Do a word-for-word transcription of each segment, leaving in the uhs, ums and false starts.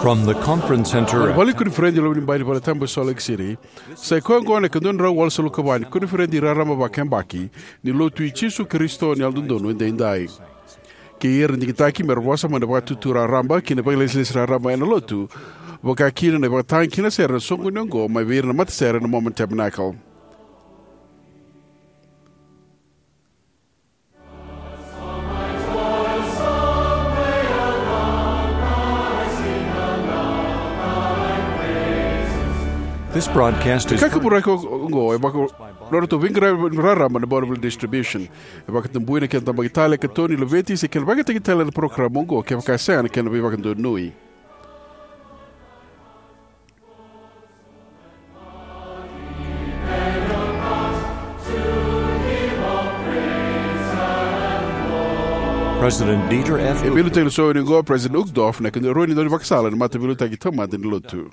From the conference center Na at vale ni koniferedi e Lomanibai ni Valetabu e Salt Lake City, sa i koya oqo na ikaduadrau walusagavulu ka va ni koniferedi raraba vakayabaki ni Lotu i Jisu Karisito ni Yalododonu Edaidai. Kei ira na digitaki me ra vosa mai na vakatutu raraba kei na vakailesilesi raraba ena Lotu, vaka kina na ivakatagi kei na sere ena soqoni oqo mai vei ira na matasere na Mormon Tabernacle. This broadcast is Kakaburaki oqo e vaka nodratou veiqaravi raraba na Bonneville Distribution. E vakatabui na kena tabaki tale, katoni, laveti se kena vakayagataki tale na parokaramu oqo kevaka e sega na kena veivakadonui. President Dieter F. E veiliutaki ena soqoni oqo o President Uchtdorf, na kena rua ni daunivakasala ena mataveiliutaki taumada ni Lotu.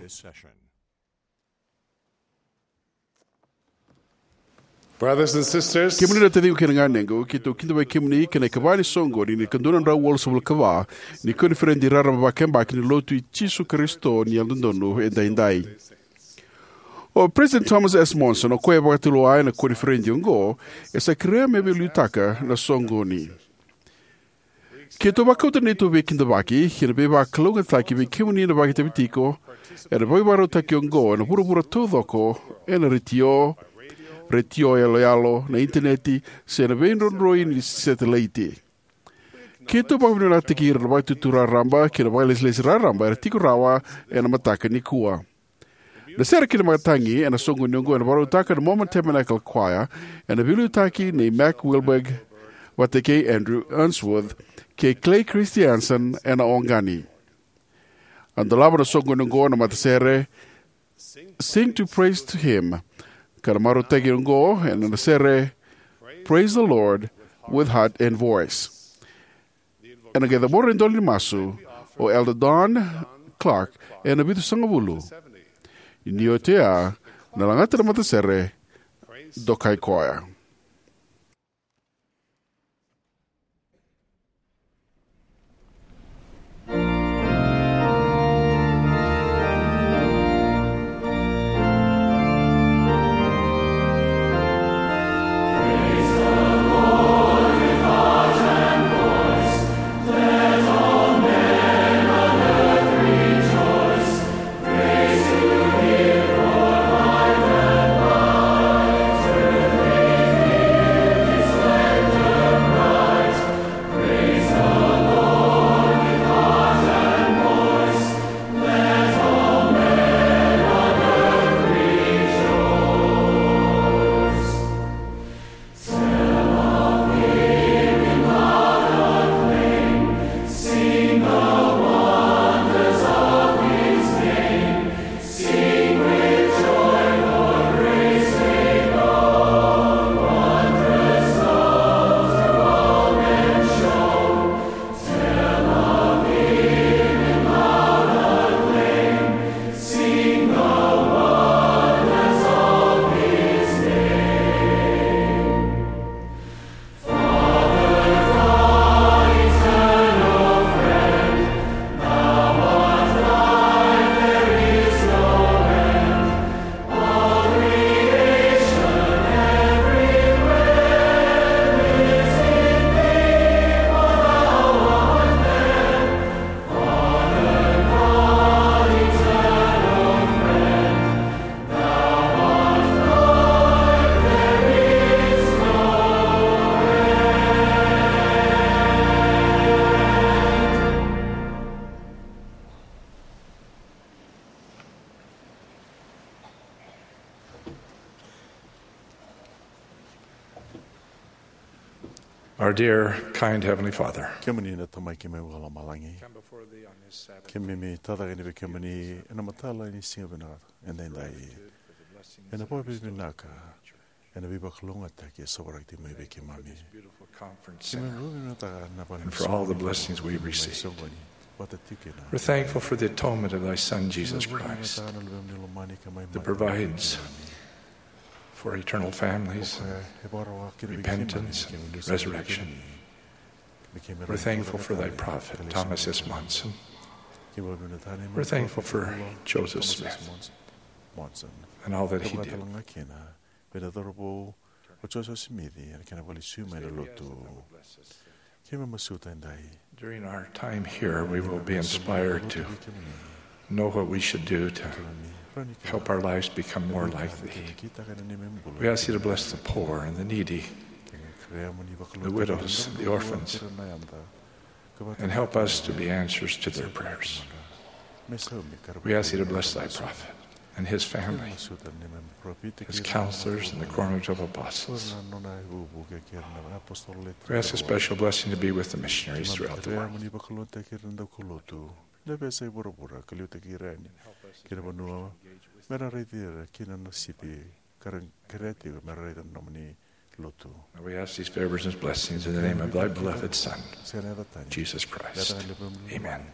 Brothers and sisters, Kemuni na taciqu kei na ganequ, keitou kidavaki kemuni ki na ikava ni soqoni ni ikaduadrau walusagavulu ka va ni koniferedi raraba vakayabaki ni Lotu i Jisu Karisito ni Yalododonu Edaidai. O President Thomas S. Monson, o koya e vakatulewa ena koniferedi oqo, e sa kerea me veiliutaka na soqoni. Keitou vakauta na neitou veikidavaki kei na veivakalougatataki vei kemuni na vakaitavi tiko ena veivakarautaki oqo ena vuravura taucoko, ena retio, retio yaloyalo, na initaneti, se na veidrodroi ni setelaiti. Keitou vakavinavinakataki ira na vakatutu raraba kei na vakailesilesi raraba era tiko rawa ena mataka nikua. Na sere kei na ivakatagi ena soqoni oqo ena vakarautaka na Mormon Tabernacle Choir, ena veiliutaki nei Mac Wilberg vata kei Andrew Unsworth kei Clay Christiansen ena oqani. A dolava na soqoni oqo na matasere Sing to Praise to Him, ka na marautaki oqo ena sere Praise the Lord with Heart and Voice. Ena qai cabora na idola ni masu o Elder Don Clark ena vitusagavulu. Ni oti oya, na lagata na matasere Dokai Koya. Our dear, kind Heavenly Father, Kemuni na Tamai keimami vakalomalagi. Come before Thee on this Sabbath. Keimami tacake yani vei kemuni ena mataka ni siga vinaka edaidai. Ena vakavinavinaka ena veivakalougatataki e sovaraki tiko mai vei keimami. Beautiful conference center. Keimami vakavinavinaka na vale ni soqoni. And for all the blessings we received. Vata tiko kei na. We're thankful for the atonement of Thy Son, Jesus Christ, that provides for eternal families, repentance, and resurrection. We're thankful for Thy prophet, Thomas S. Monson, We're thankful for Joseph Smith Monson and all that he did. Vakatalakina vei na cauravou o Joseph Smith ena kena vakalesui mai na lotu. Keimami masuta edai. During our time here, we will be inspired to know what we should do to help our lives become more like Thee. We ask Thee to bless the poor and the needy, the widows, the orphans, and help us to be answers to their prayers. We ask Thee to bless Thy prophet and his family, his counselors, and the quorum of apostles. We ask a special blessing to be with the missionaries throughout the world. Ni vakalougatataki ira na daukaulotu na veiyasai vuravura ka liutaki ira yani ki na vanua me ra raici ira kina na sipi ka ra kerea tiko me ra raica na nomuni lotu. And we ask these favors and blessings in the name of Thy beloved Son, Jesus Christ. Amen.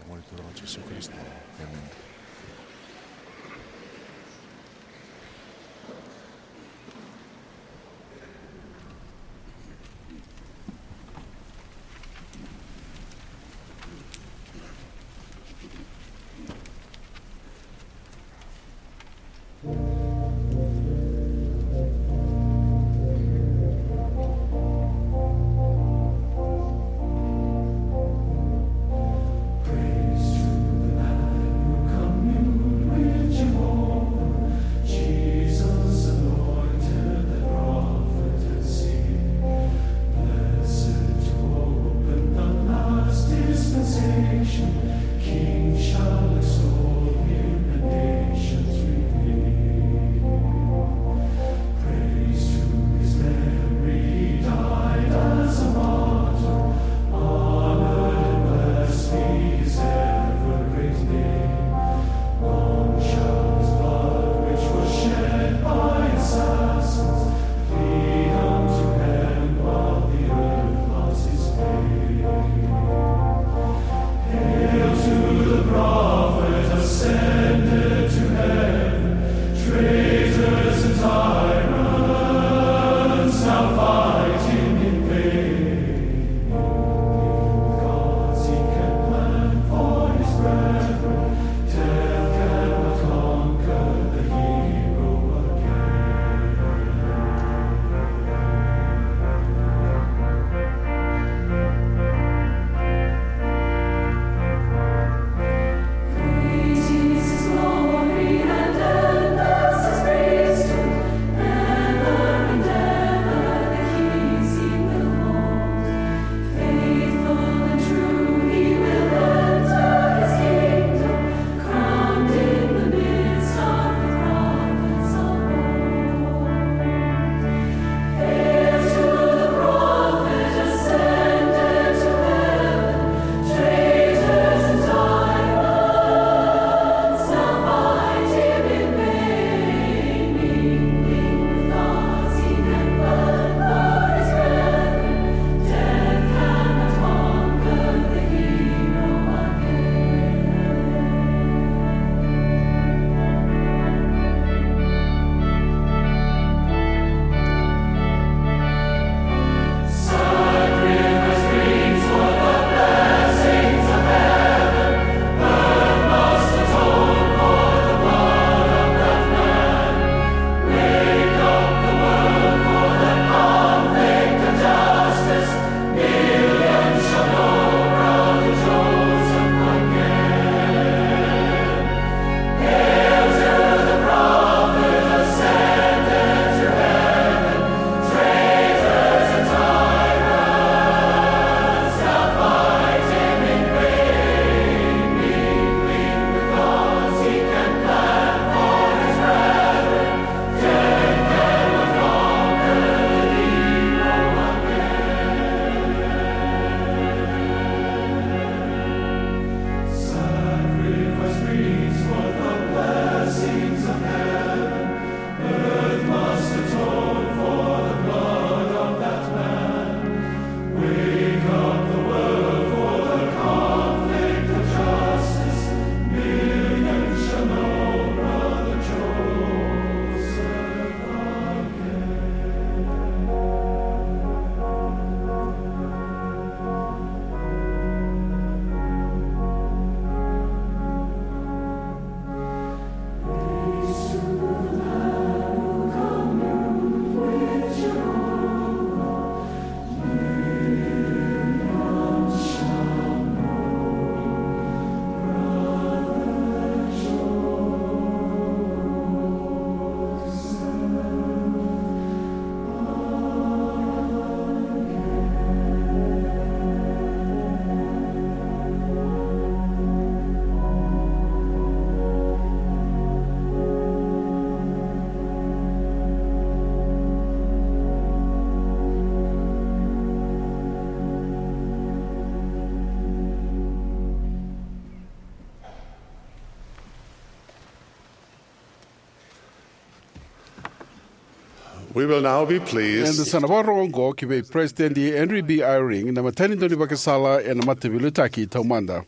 We will now be pleased. Eda sa na vakarorogo oqo ki vei President Henry B. Eyring, na imatai ni daunivakasala ena Mataveiliutaki Taumada.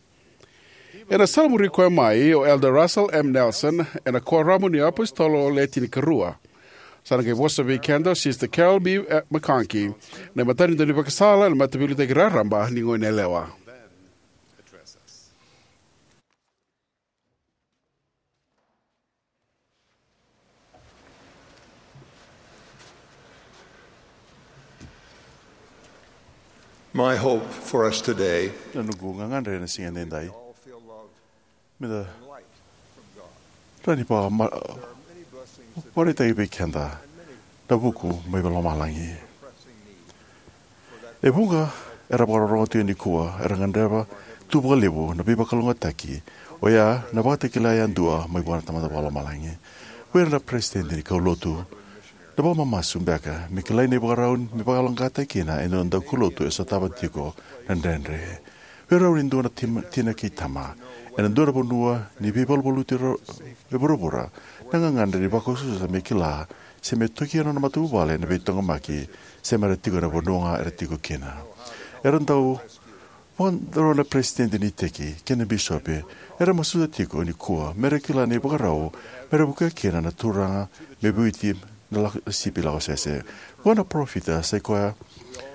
Ena sala muri koya mai o Elder Russell M. Nelson ena Kuoramu ni iApositolo Le Tinikarua. Sa na qai vosa vei keda o Sister Carol B. McConkie, na imatai ni daunivakasala ena Mataveiliutaki Raraba ni Goneyalewa. My hope for us today. Na noqu gagadre ena siga edaidai, meda rawa ni vakama-, vakaraitaki vei keda na vuku mai lomalagi. E vuqa era vakarorogo tiko nikua era gadreva tu vakalevu na veivakalougatataki, oya na vakatakila yadua mai vua na Tamada Vakalomalagi. Vei ira na peresitedi ni kaulotu, na vakamamasu beka me kilai na ivakarau me vakayaloqaqataki kina e dua na daukaulotu e sotava tiko na dredre. Vei rau ni dua na tim-, tina kei tama ena dua na vanua ni veivaluvaluti ro-, e vuravura, na gagadre ni vakausausau me kila se me tokia na nona matavuvale ena veitaqomaki se me ra tiko ena vanua ga era tiko kina. Era dau vakadro na peresitedi ni iteki kei na bisopi, era masuta tiko nikua me ra kila na ivakarau me ra vukea kina na turaga me vueti na lako, sipi lako sese. Vua na parofita sai koya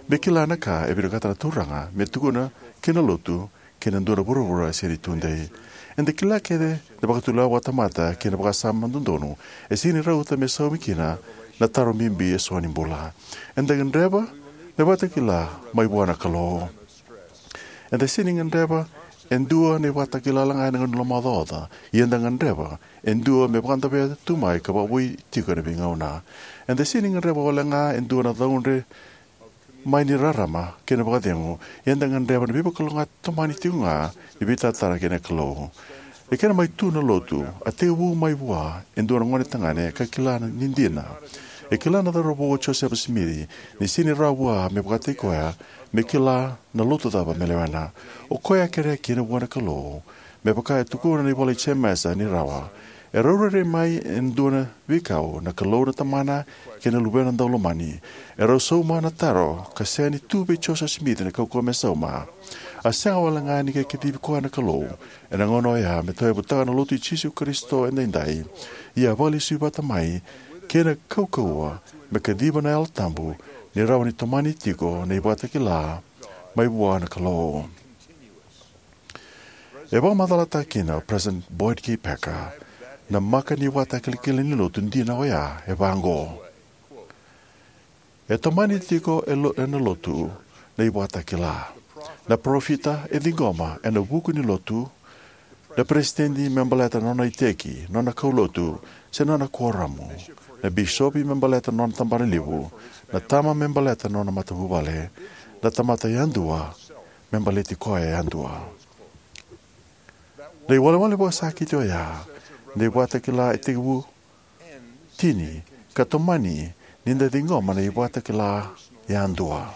me kila na ka e vinakata na Turaga me tukuna ki na lotu kei na dua na vuravura e sega ni tudei. Eda kila kece na vakatulewa vakatamata kei na vakasama dodonu e sega ni rauta me saumi kina na taro bibi eso ni bula. Eda gadreva na vakatakila mai vua na Kalou. Eda sega ni gadreva e dua na ivakatakila ga ena gauna ni lomaocaoca, ia eda gadreva e dua me vakadavea tu mai ka vakavoui tiko ena veigauna. Eda sega ni gadreva wale ga e dua na caudre mai ni rarama kei na vakacegu, ia eda gadreva na veivakalougatataki tomani tiko ga ni veitaratara kei na Kalou. E kena mai tu na lotu, a tekivu mai vua e dua na gonetagane ka kila ni dina. E kila na cauravou o Josefa Simici ni sega ni rawa vua me vakataki koya me kila na lotu cava me lewena. O koya a kerea kina vua na Kalou, me vaka e tukuna na ivola i Jemesa ni rawa. E rau rairai mai e dua na veikau na Kalou na Tamana kei na Luvena Daulomani. E rau sauma na taro ka sega ni tu vei Josefa Simici na kaukauwa me sauma. A sega wale ga ni qai kacivi koya na Kalou ena gauna oya me tauyavutaka na lotu i Jisu Karisito edaidai. Ia a vakalesui vata mai kei na kaukauwa me kaciva na Yalo Tabu ni rawa ni tomani tiko na ivakatakila mai vua na Kalou. E vakamacalataka kina o President Boyd K. Packer na maka ni ivakatakilakila ni lotu dina oya e vaqo: E tomani tiko e lo-, ena lotu na ivakatakila. Na parofita e ciqoma ena vuku ni lotu, na peresitedi me baleta na nona iteki, nona kaulotu, se nona kuoramu, na bisopi me baleta na nona tabanalevu, na tama me baleta na nona matavuvale, na tamata yadua me baleti koya yadua. Na iwalewale vakasakiti oya ni ivakatakila e tekivu, tini, ka tomani ni da ciqoma na ivakatakila yadua.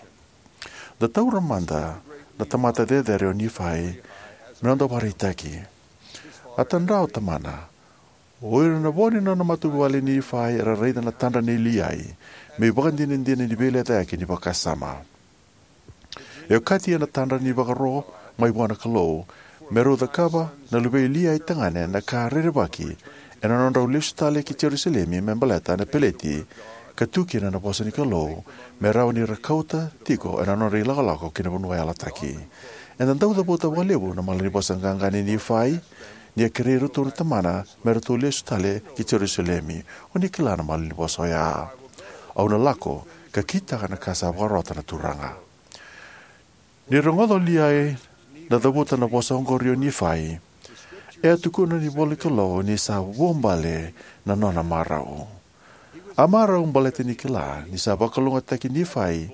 Da taura mada na tamata cecere o Nifai me noda vakaraitaki. A tadra o tamana. O ira na vo ni nona matavuvale o Nifai era raica na tadra nei Liai me ivakadinadina ni veilecayaki ni vakasama. E okati ena tadra ni vakaro mai vua na Kalou me rau cakava na luvei Liai tagane na ka rerevaki ena nodrau lesu tale ki Jerusalemi me baleta na peleti ka tu kina na vosa ni Kalou, me rawa ni ra kauta tiko ena nodra ilakolako ki na vanua yalataki. Eda dau cavuta vakalevu na malanivosa qaqa nei Nifai ni a kerei iratou na tamana me ratou lesu tale ki Jerusalemi. O ni kila na malanivosa oya: Au na lako ka kitaka na ka sa vakarota na Turaga. Ni rogoca o Liai na cavuta na vosa oqori o Nifai, e a tukuna na ivola ni Kalou ni sa vuabale na nona marau. A marau baleta ni kila ni sa vakalougatataki Nifai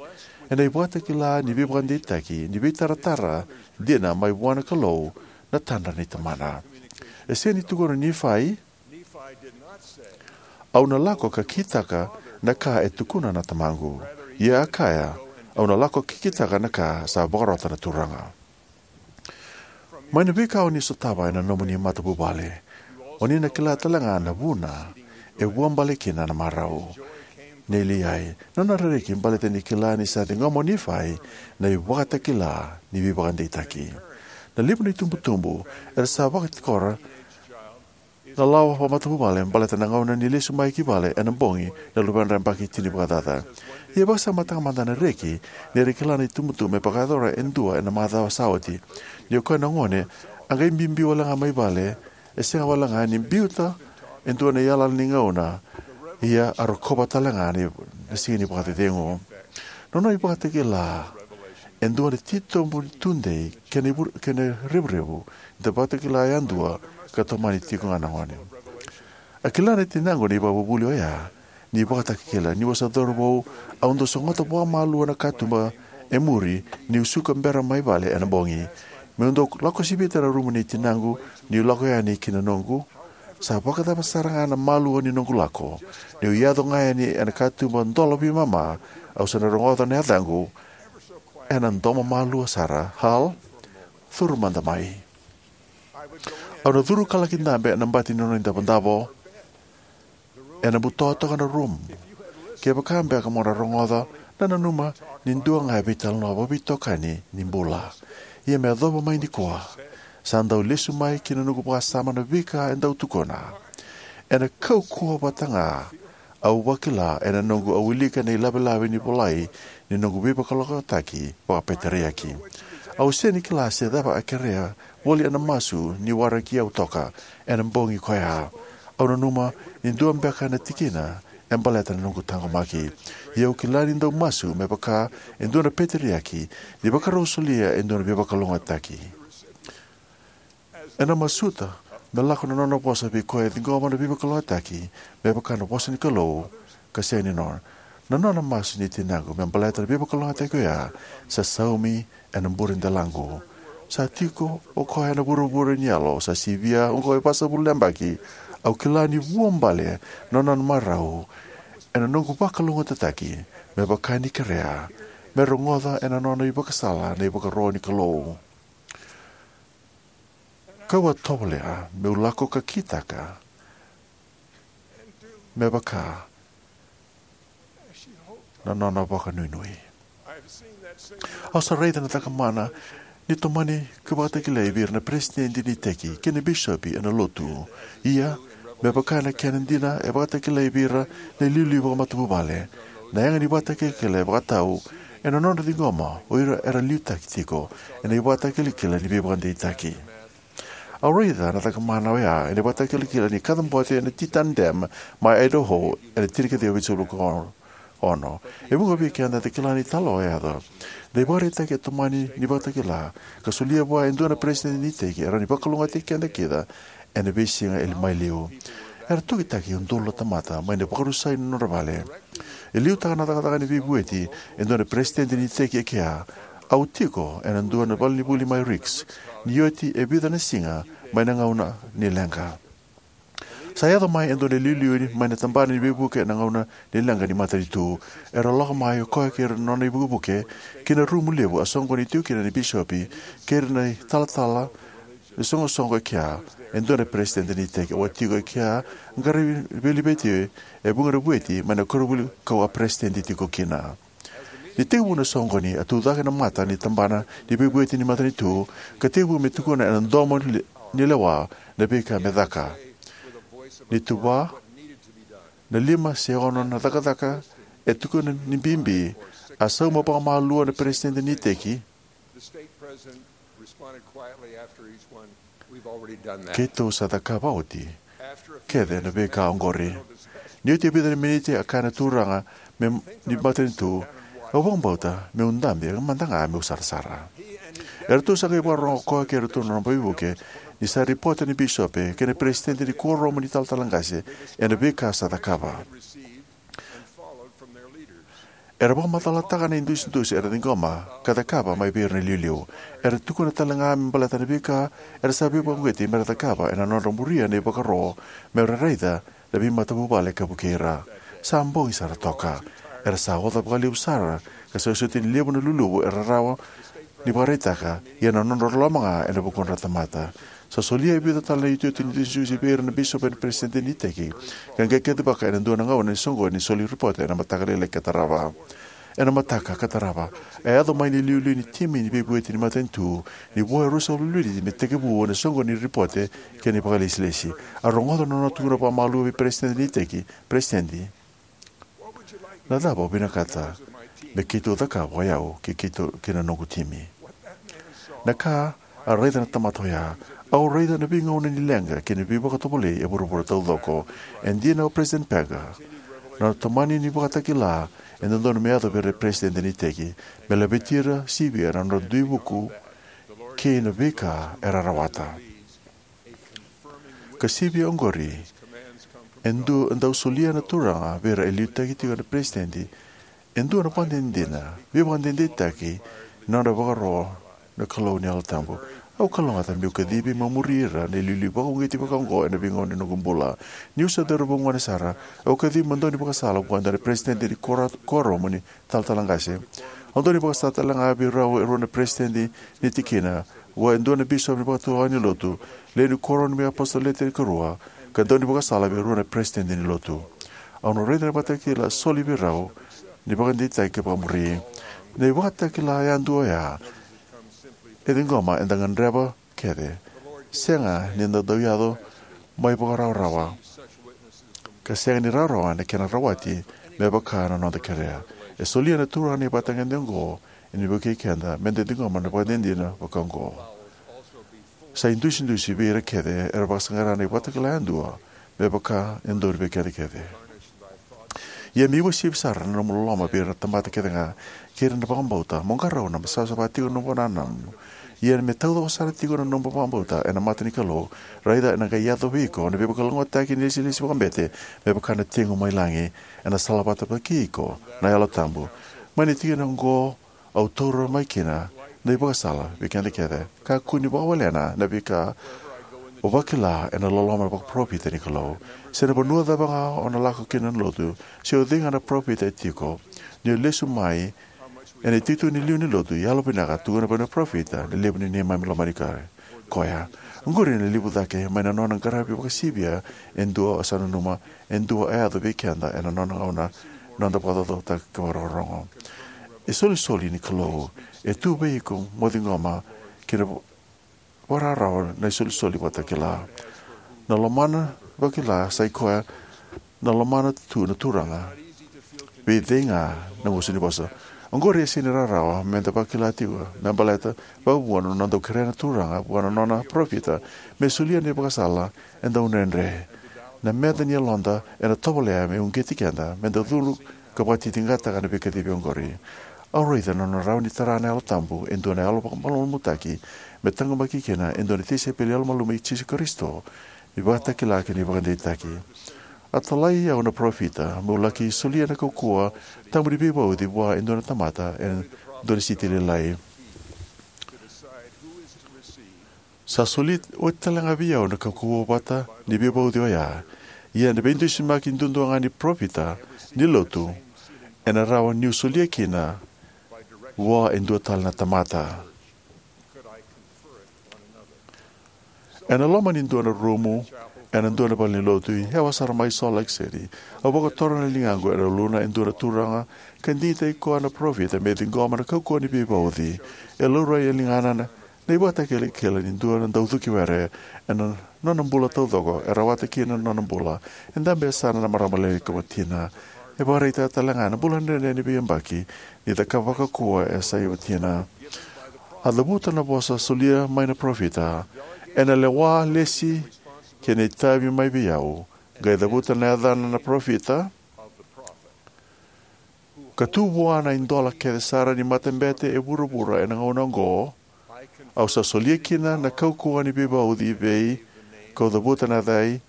ena ivakatakila ni veivakadeitaki ni veitaratara dina mai vua na Kalou na tadra nei tamana. E sega ni tukuna o Nifai, "Au na lako ka kitaka na ka e tukuna na tamaqu." Ia a kaya, "Au na lako ka kitaka na ka sa vakarota na Turaga." Mai na veika o ni sotava ena nomuni matavuvale, o ni na kila tale ga na vuna e vuabale kina na marau. nei Liai. Na nona reki baleta ni kila ni sa ciqoma o Nifai na ivakatakila ni veivakadeitaki. Na levu na itubutubu era sa vakatikora na lawa vakamatavuvale baleta na gauna ni lesu mai ki vale ena bogi na luvedra yabaki tinivakacaca. Ia e vakasamataka mada na reki ni ra kila na itubutubu me vakayacora e dua ena macawa sa oti. Ni o koya na gone a qai biubiu wale ga mai vale, e sega wale ga ni biuta e dua na iyalayala ni gauna, ia a rokova tale ga na siga ni vakacecegu. Na nona ivakatakila e dua na titobu tudei kei na ivur-, kei na revurevu ni da vakatakila yadua ka tomani tiko ga na gone. A kila na tinaqu na ivakavuvuli oya ni vakatakila. Niu a sa cauravou, au dau sogota vakamalua na katuba e muri niu suka bera mai vale ena bogi. Meu dau lako sivita na rumu nei tinaqu niu lako yani ki na noqu. Sa vakacava sara ga na malua ni noqu lako, niu yaco ga yani ena katuba dola veimama, au sa na rogoca na yacaqu ena domo malua sara, "Hal, curu mada mai." Au na curu ka laki dabe ena bati ni nona idavodavo. Ena buto toka na rumu. Kevaka beka mo na rogoca, na nanuma ni dua ga e veitalanoa vakaveitokani ni bula. Ia me yacova mai nikua, sa dau lesu mai ki na noqu vakasama na veika e dau tukuna. Ena kaukauwa vata ga au vakila ena noqu a wilika na ilavelave ni volai ni noqu veivakalougatataki vakapeteriaki. Au sega ni kila se cava a kerea voli ena masu ni waraki au toka ena bogi koya. Au nanuma ni dua beka na tikina e baleta na noqu taqomaki. Ia au kila ni dau masu me vaka e dua na peteriaki ni vakarau solia e dua na veivakalougatataki. Ena masuta me lako na nona vosa vei koya e ciqoma na veivakalougatataki me vaka na vosa ni Kalou ka sega ni nona. Na nona masu ni tinaqu me baleta na veivakalougatataki oya sa saumi ena bure delaqu. Sa tiko o koya ena vuravura ni yalo, sa sivia oqo e vasagavulu na yabaki. Au kila ni vuabale na nona marau ena noqu vakalougatataki me vaka ni kerea me rogoca ena nona ivakasala na ivakaro ni Kalou. Kau a tovolea meu lako ka kitaka me vaka na nona vakanuinui. Au sa raica na cakamana ni tomani ka vakatakilai vei ira na peresitedi ni iteki kei na bisopi ena lotu. Ia, me vaka na kena dina e vakatakilai vei ira na iliuliu vakamatavuvale, na yaga ni vakatakilakila e vakatau ena nodra ciqoma o ira era liutaki tiko ena ivakatakilakila ni veivakadeitaki. Au raica na cakamana oya ena ivakatakilakila ni kacabote ena Teton Dam mai Idaho ena tinikaciwa vitusagavulu ka ono. E vuqa vei keda eda kila na italanoa e yaco. Na ivakaraitaki e tomani ni vakatakila ka solia vua e dua na peresitedi ni iteki e rawa ni vakalougatataki keda kece ena veisiga e mai liu. Era tokitaki e udolu na tamata mai na vakarusai ni nodra vale. E liutaka na cakacaka ni veivueti e dua na peresitedi ni iteki e kea, "Au tiko ena dua na valenivuli mai Ricks ni oti e vica na siga mai na gauna ni leqa." Sa yaco mai e dua na iliuliu mai na tabana ni veivuke ena gauna ni leqa ni matanitu. Era lako mai o koya kei ira na nona ivukevuke ki na rumu levu a soqoni tiko kina na bisopi kei ira na italatala ni soqosoqo e kea. E dua na peresitedi ni iteki au a tiko e kea, qaravi veileveti e vuqa na vueti mai na koronivuli kau a peresitedi tiko kina. Ni tekivu na soqoni, a tucake na mata ni tabana ni veivueti ni matanitu ka tekivu me tukuna ena domo ni le-, ni lewa na veika me caka. Ni tuva na lima se ono na cakacaka e tukuna ni bibi, a sauma vakamalua na peresitedi ni iteki. The stake president responded quietly after each one, "We've already done that." "Keitou sa cakava oti kece na veika oqori." Ni oti e vica na miniti, a kaya na turaga me, ni matanitu, "Au vakabauta meu dabe mada ga meu sarasara." Eratou sa qai vakarorogo o koya kei iratou na nona veivuke ni sa ripota na bisopi kei na peresitedi ni kuoramu ni talatala qase ena veika sa cakava. Era vakamacalataka na idusidusi era ciqoma ka cakava mai vei ira na iliuliu. Era tukuna tale ga me baleta na veika era sa veivakauqeti mera cakava ena nodra muria na ivakaro mera raica na veimatavuvale ka vukei ira. Sa bogi sara toka. Era sa oca vakalevu sara ka sa soti ni levu na luluvu era rawa ni vakaraitaka, ia na nodra loloma ga ena vukudra na tamata. Sa solia e vica tale na iotioti ni dusidusi vei ira na bisopi ena peresitedi ni iteki, ka qai kacivaka ena dua na gauna ni soqoni ni soli ripote ena mataka lailai ka tarava. Ena mataka ka tarava, a yaco mai na iliuliu ni timi ni veivueti ni matanitu ni vo e ruasagavulu na miniti me tekivu na soqoni ni ripote kei na vakailesilesi. A rogoca na nona tukuna vakamalua vei peresitedi ni iteki, Peresitedi, na cava o vinakata me keitou cakava o yau kei keitou kei na noqu timi? Na ka a raica na tamata oya, au raica na veigauna ni leqa kei na veivakatovolei e vuravura taucoko. E dina o Peresitedi Packer, na nona tomani ni vakatakila e dodonu me yaco vei ira na peresitedi ni iteki, me laveti ira sivia na nodra dui vuku kei na veika era rawata. Ka sivia oqori, e dau solia na Turaga vei ira e liutaki tiko na peresitedi e dua na ivakadinadina, veivakadeitaki ni nodra vakaro na Kalou ni Yalo Tabu. Au kalougata meu kacivi meu muri ira na iliuliu vakauqeti vakaoqo ena veigauna ni noqu bula. Niu se cauravou gone sara, au kacivi meu daunivakasala vua e dua na peresitedi ni kora-, kuoramu ni talatala qase. Au daunivakasala talega vei rau e rua na peresitedi ni tikina, vua e dua na bisopi ni vakatulewa ni lotu, lewe ni kuoramu ni apositolo Le Tinikarua, ka daunivakasala vei rua na peresitedi ni lotu. Au na raica na ivakatakila soli vei rau ni vakadeitaki ka vakamuri. Na ivakatakila yadua oya e ciqoma eda gadreva kece, sega ni da dau yaco mai vakarawarawa, ka sega ni rawarawa na kena rawati me vaka na noda kerea. E solia na Turaga na ivakatagedegede oqo ni vukei keda me da ciqoma na ivakadinadina vakaoqo. Sa idusidusi vei ira kece era vakasaqara na ivakatakila yadua me vaka e dodonu vei keda kece. Ia me uasivi sara na nomu loloma vei ira na tamata kecega kei ira na vakabauta, mo qarauna me savasava tiko na nomu vakanananu. Ia me taucoko sara tiko na nomu vakabauta ena mata ni Kalou, raica ena qai yaco vei iko na veivakalougatataki ni ilesilesi vakabete me vaka na tegu mai lagi. Ena salavata vata kei iko na Yalo Tabu. Mai na tikina oqo, au taura mai kina na ivakasala vei keda kece. Kakua ni vakawalena na veika o vakila ena loloma vakaparofita ni Kalou. Se na vanua cava ga o na lako kina na lotu, se o cei ga na parofita e tiko, ni o lesu mai ena itutu ni liu ni lotu, yalovinaka tukuna vei na parofita na levu ni neimami lomani koya. Oqori na levu cake mai na nona qaravi vakasivia e dua o sa nanuma, e dua a yaco vei keda ena nona gauna, noda vakacaucautaki ka vakarorogo. E solisoli ni Kalou e tu vei iko mo ciqoma kina vakarawarawa na isolisoli vakatakila. Na lomana vakila sa i koya na lomana tu na Turaga vei cei ga na gusu ni vosa. Oqori e sega ni rawarawa me da vakila tiko me baleta vakavua na nona dau kerea na Turaga vua na nona parofita me solia na ivakasala e dau dredre. Na meca ni yaloda ena tovolea me uqeti keda me da cudru ka vakatitiqataka na veikacivi oqori. Au raica na nona rawa ni tara na Yalo Tabu e dua na yalo vakamalumalumutaki me taqomaki kina e dua na tisaipeli yalomalumalumu i Jisu Karisito, ni vakatakila kei na ivakadeitaki. A talai au na parofita meu laki solia na kaukauwa tabu ni veivauci vua e dua na tamata e dua na siti lailai. Sa soli oti talega vei au na kaukauwa vata ni veivauci oya. Ia na veidusimaki duadua ga ni parofita ni lotu ena rawa niu solia kina vua e dua tale na tamata. Ena loma ni dua na rumu ena dua na valenilotu e yawa sara mai Salt Lake City, au vakatoro na ligaqu ena uluna e dua na turaga ka digitaki koya na parofita me ciqoma na kaukauwa ni veivauci. E laurai e ligana na na ivakatakilakila ni dua na daucuki were ena nona bula taucoko e rawata kina na nona bula. E dabe e yasana na marama lailai ka watina. E vakaraitaka talega na bula dredre ni veiyabaki ni cakava kaukauwa e yasai watina. A cavuta na vosa solia mai na parofita: "Ena lewa, lesi, kei na itavi mai vei au." Qai cavuta na yacana na parofita: "Ka tu vua na idola kece sara ni matabete e vuravura ena gauna oqo, au sa solia kina na kaukauwa ni veivauci vei, kau cavuta na yacai,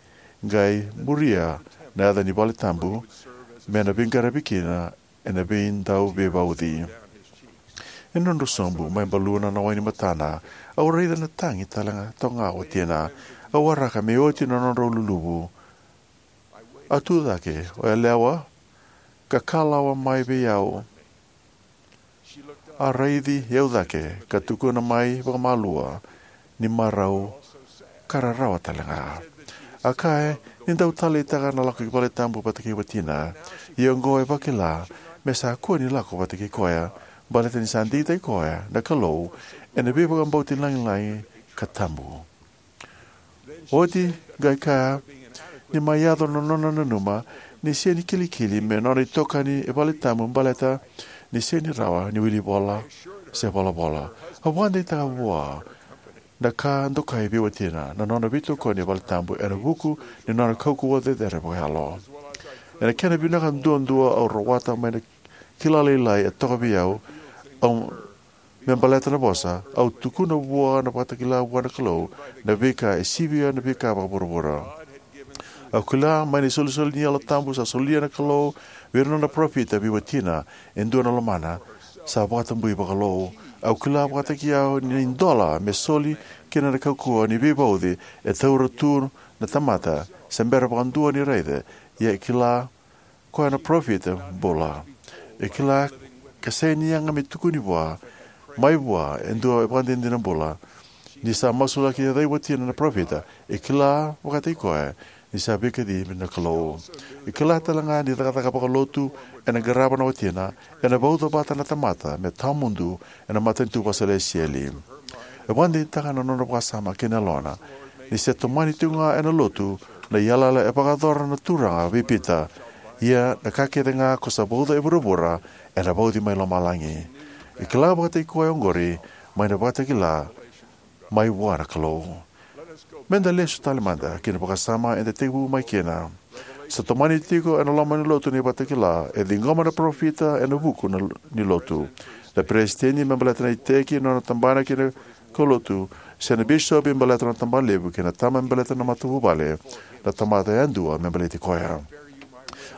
qai muria na yaca ni vale tabu, me na veiqaravi kina ena veidau veivauci." Ena nodrau sobu mai baluna na wai ni matana, au raica na tagi talega toka ga o watina. Au waraka me oti na nodrau luluvu. A tu cake o yalewa ka kalawa mai vei au. A raici au cake ka tukuna mai vakamalua ni marau ka rarawa tale ga. A kaya ni dau taleitaka na lako ki valetabu vata kei watina, ia oqo e vakila me sa kua ni lako vata kei koya, baleta ni sa digitaki koya na Kalou ena veivakabauti lagilagi ka tabu. Oti qai kaya ni mai yaco na nona nanuma ni sega ni kilikili me nona itokani e valetabu baleta ni sega ni rawa ni wili vola se volavola. A vakadeitaka vua na ka dokai vei watina na nona veitokoni e valetabu ena vuku ni nona kaukauwa cecere vakayalo. Ena kena vinaka duadua au rawata mai na kila lailai e toka vei au, au me baleta na vosa, au tukuna vua na vakatakila vua na Kalou na veika e sivia na veika vakavuravura. Au kila mai na isolisoli ni Yalo Tabu sa solia na Kalou vei ira na nona parofita vei watina e dua na lomana sa vakatabui vakalou. Au kila vakataki au ni idola me soli kina na kaukauwa ni veivauci e taura tu na tamata se bera vakadua ni raica, ia e kila koya na parofita bula. E kila ka sega ni yaga me tukuni vua mai vua e dua e vakadinadina bula. Ni sa masulaki e cai watina na parofita, e kila vakataki koya ni sa veikacivi na Kalou. E kila tale ga ni cakacaka vakalotu ena qarava na watina ena vauca vata na tamata me tawamudu ena matanitu vakaselesitieli. E vakadeitaka na nona vakasama kei na yalona ni se tomani tiko ga ena lotu na iyalayala e vakayacora na Turaga vei Pita, ia na ka kece ga ko sa vauca e vuravura ena vauci mai lomalagi. E kila vakataki koya oqori mai na vakatakila mai vua na Kalou. Meda lesu tale mada ki na vakasama eda tekivu mai kina. Sa tomani tiko ena loma ni lotu na ivakatakila e ciqoma na parofita ena vuku na, ni lotu. Na peresitedi me baleta na iteki na nona tabana kei na kaulotu, se na bisopi me baleta na tabana levu, kei na tama me baleta na matavuvale, na tamata yadua me baleti koya.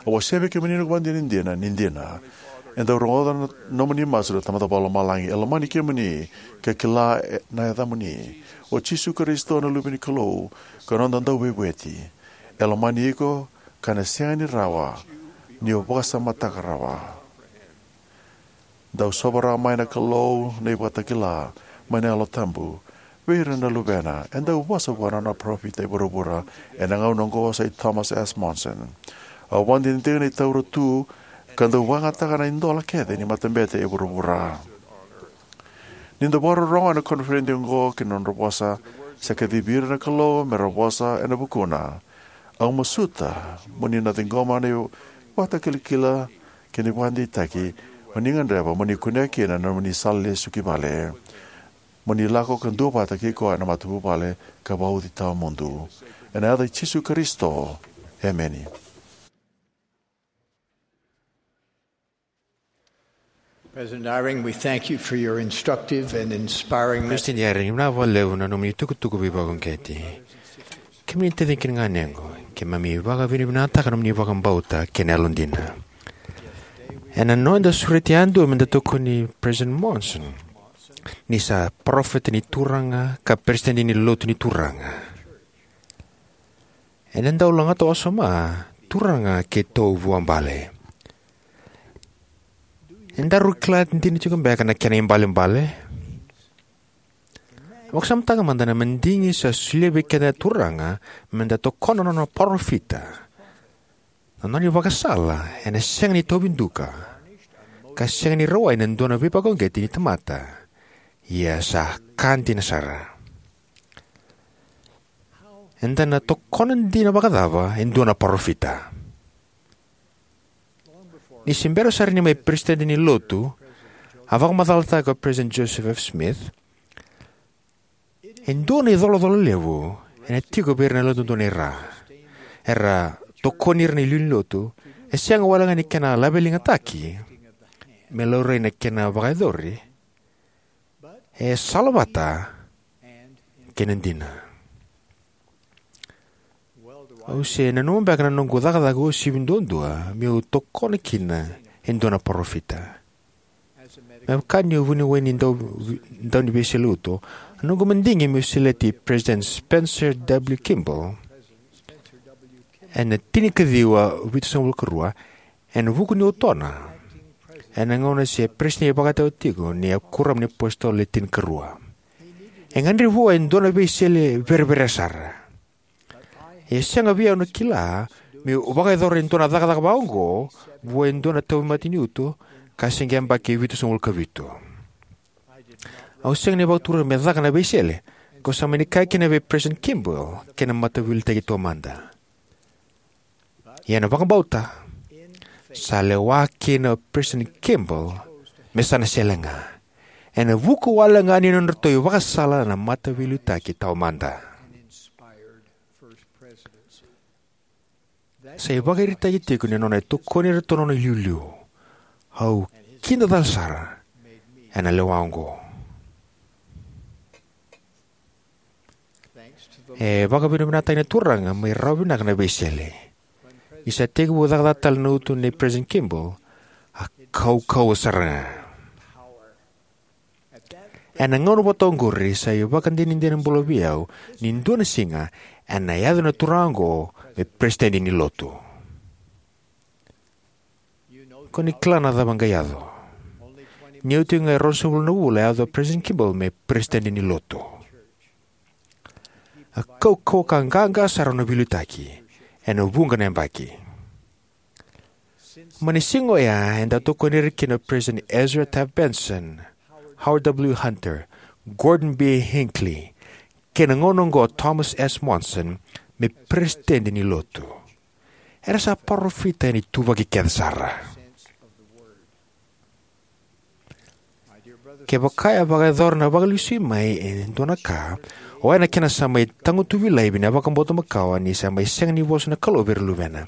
Au wasea vei kemuni na vakadinadina ni dina e dau rogoca na nomuni masu na Tamada Vakalomalagi. E lomani kemuni ka kila e, na yacamuni. O Jisu Karisito na Luve ni Kalou ka noda Dauveivueti. E lomani iko ka na sega ni rawa ni o vakasamataka rawa. Dau sovaraka mai na Kalou na ivakatakila mai na Yalo Tabu vei ira na luvena. E dau vosa vua na nona parofita e vuravura ena gauna oqo sai Thomas S. Monson. Au vakadinadina ni taura tu ka dau vakayagataka na idola kece ni matabete e vuravura. Ni da vakarorogo ena koniferedi oqo ki na nodra vosa, sa kacivi ira na Kalou me ra vosa ena vukuna. Au masuta mo ni na ciqoma na ivakatakilakila kei na ivakadeitaki o ni gadreva mo ni kunea kina na nomuni sala lesu ki vale, mo ni lako ka duavata kei koya na matavuvale ka vauci tawamudu. Ena yaca i Jisu Karisito, emeni. President Eyring, we thank you for your instructive and inspiring message. President Eyring, vinaka vakalevu na nomuni tukutuku veivakauqeti. Kemuni taciqu kei na ganequ, keimami vakavinavinakataka na nomuni vakabauta kei na yalodina. Ena noda sureti yadua meda tokoni President Monson ni sa parofita ni Turaga ka peresitedi ni Lotu ni Turaga. Ena dau lagata wasoma turaga keitou vuabale. Edaru kila dina tiko beka na kena ibalebale? Vakasamataka mada na madigi sa solia vei keda na Turaga meda tokona na nona parofita. Na nona ivakasala ena sega ni tauvi duka ka sega ni rawai na dua na veivakauqeti ni tamata. Ia sa ka dina sara. Eda na tokona dina vakacava e dua na parofita? Ni se bera sara ni mai peresitedi ni Lotu, a vakamacalataka o President Joseph F. Smith, e dua na icolacola levu ena tiko vei ira na yalododonu e ra. Era tokoni ira na iliuliu ni Lotu, e sega wale ga ni kena laveligataki me laurai na kena vakayacori, e salavata kei na dina. Au se nanuma beka na noqu cakacaka uasivi duadua meu tokona kina e dua na parofita. Me vaka niu vuniwai ni dau, dauniveiseleitu, a noqu madigi meu seleti President Spencer W. Kimball ena tinikaciwa vitusagavulu karua, ena vuku ni utona ena gauna se peresitedi vakatawa tiko ni a kuoramu ni apositolo le tinikarua. E gadrevi vua e dua na veisele vereverea sara. E sega vei au na kila meu vakayacora e dua na cakacaka vakaoqo vua e dua na tauvimate ni uto ka se qai yabaki vitusagavulu ka vitu. Au sega ni vakaturi me caka na veisele, kau sa mani kaya kina vei President Kimball kei na Mataveiliutaki Taumada. Ia ena vakabauta, sa lewa kina o President Kimball me sa na sele ga, ena vuku wale ga ni nodratou ivakasala na Mataveiliutaki Taumada. Sa ivakaraitaki tiko ni nona tokoni iratou na nona iliuliu. Au kidacala sara ena lewa oqo. E vakavinavinakataki na Turaga mai rawa vinaka na veisele. Ni sa tekivu cakacaka tale na uto nei President Kimball, a kaukauwa sara ga. Ena gauna vata oqori sa ivakadinadina bula vei au ni dua na siga ena yaco na turaga oqo me Peresitedi ni Lotu. Ko ni kila na cava qai yaco. Ni oti ga e ruasagavulu na vula a yaco o President Kimball me Peresitedi ni Lotu. A kaukauwa ka qaqa sara na veiliutaki ena vuqa na yabaki. Mai na siga oya eda tokoni ira kina o President Ezra Taft Benson, Howard W. Hunter, Gordon B. Hinckley, kei na gauna oqo o Thomas S. Monson me Peresitedi ni Lotu. Era sa parofita ena ituvaki kece sara. Kevaka e vakayacora na vakalesui mai e dua na ka, oya na kena sa mai tagutuvi laivi na vakabauta makawa ni sa mai sega ni vosa na Kalou vei ira na luvena.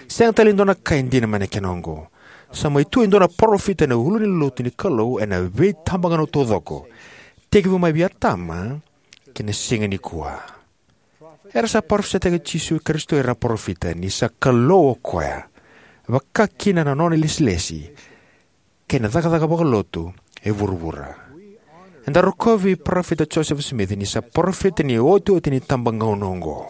Sega tale ni dua na ka e dina mai na kena oqo. Sa mai tu e dua na parofita ena ulu ni lotu ni Kalou ena veitabagauna taucoko, tekivu mai vei Atama ki na siga nikua. Era sa parofisaitaka Jisu Karisito o ira na parofita, ni sa Kalou o koya, vaka kina na nona ilesilesi kei na cakacaka vakalotu e vuravura. Eda rokovi Parofita Joseph Smith ni sa parofita ni iotioti ni itabagauna oqo.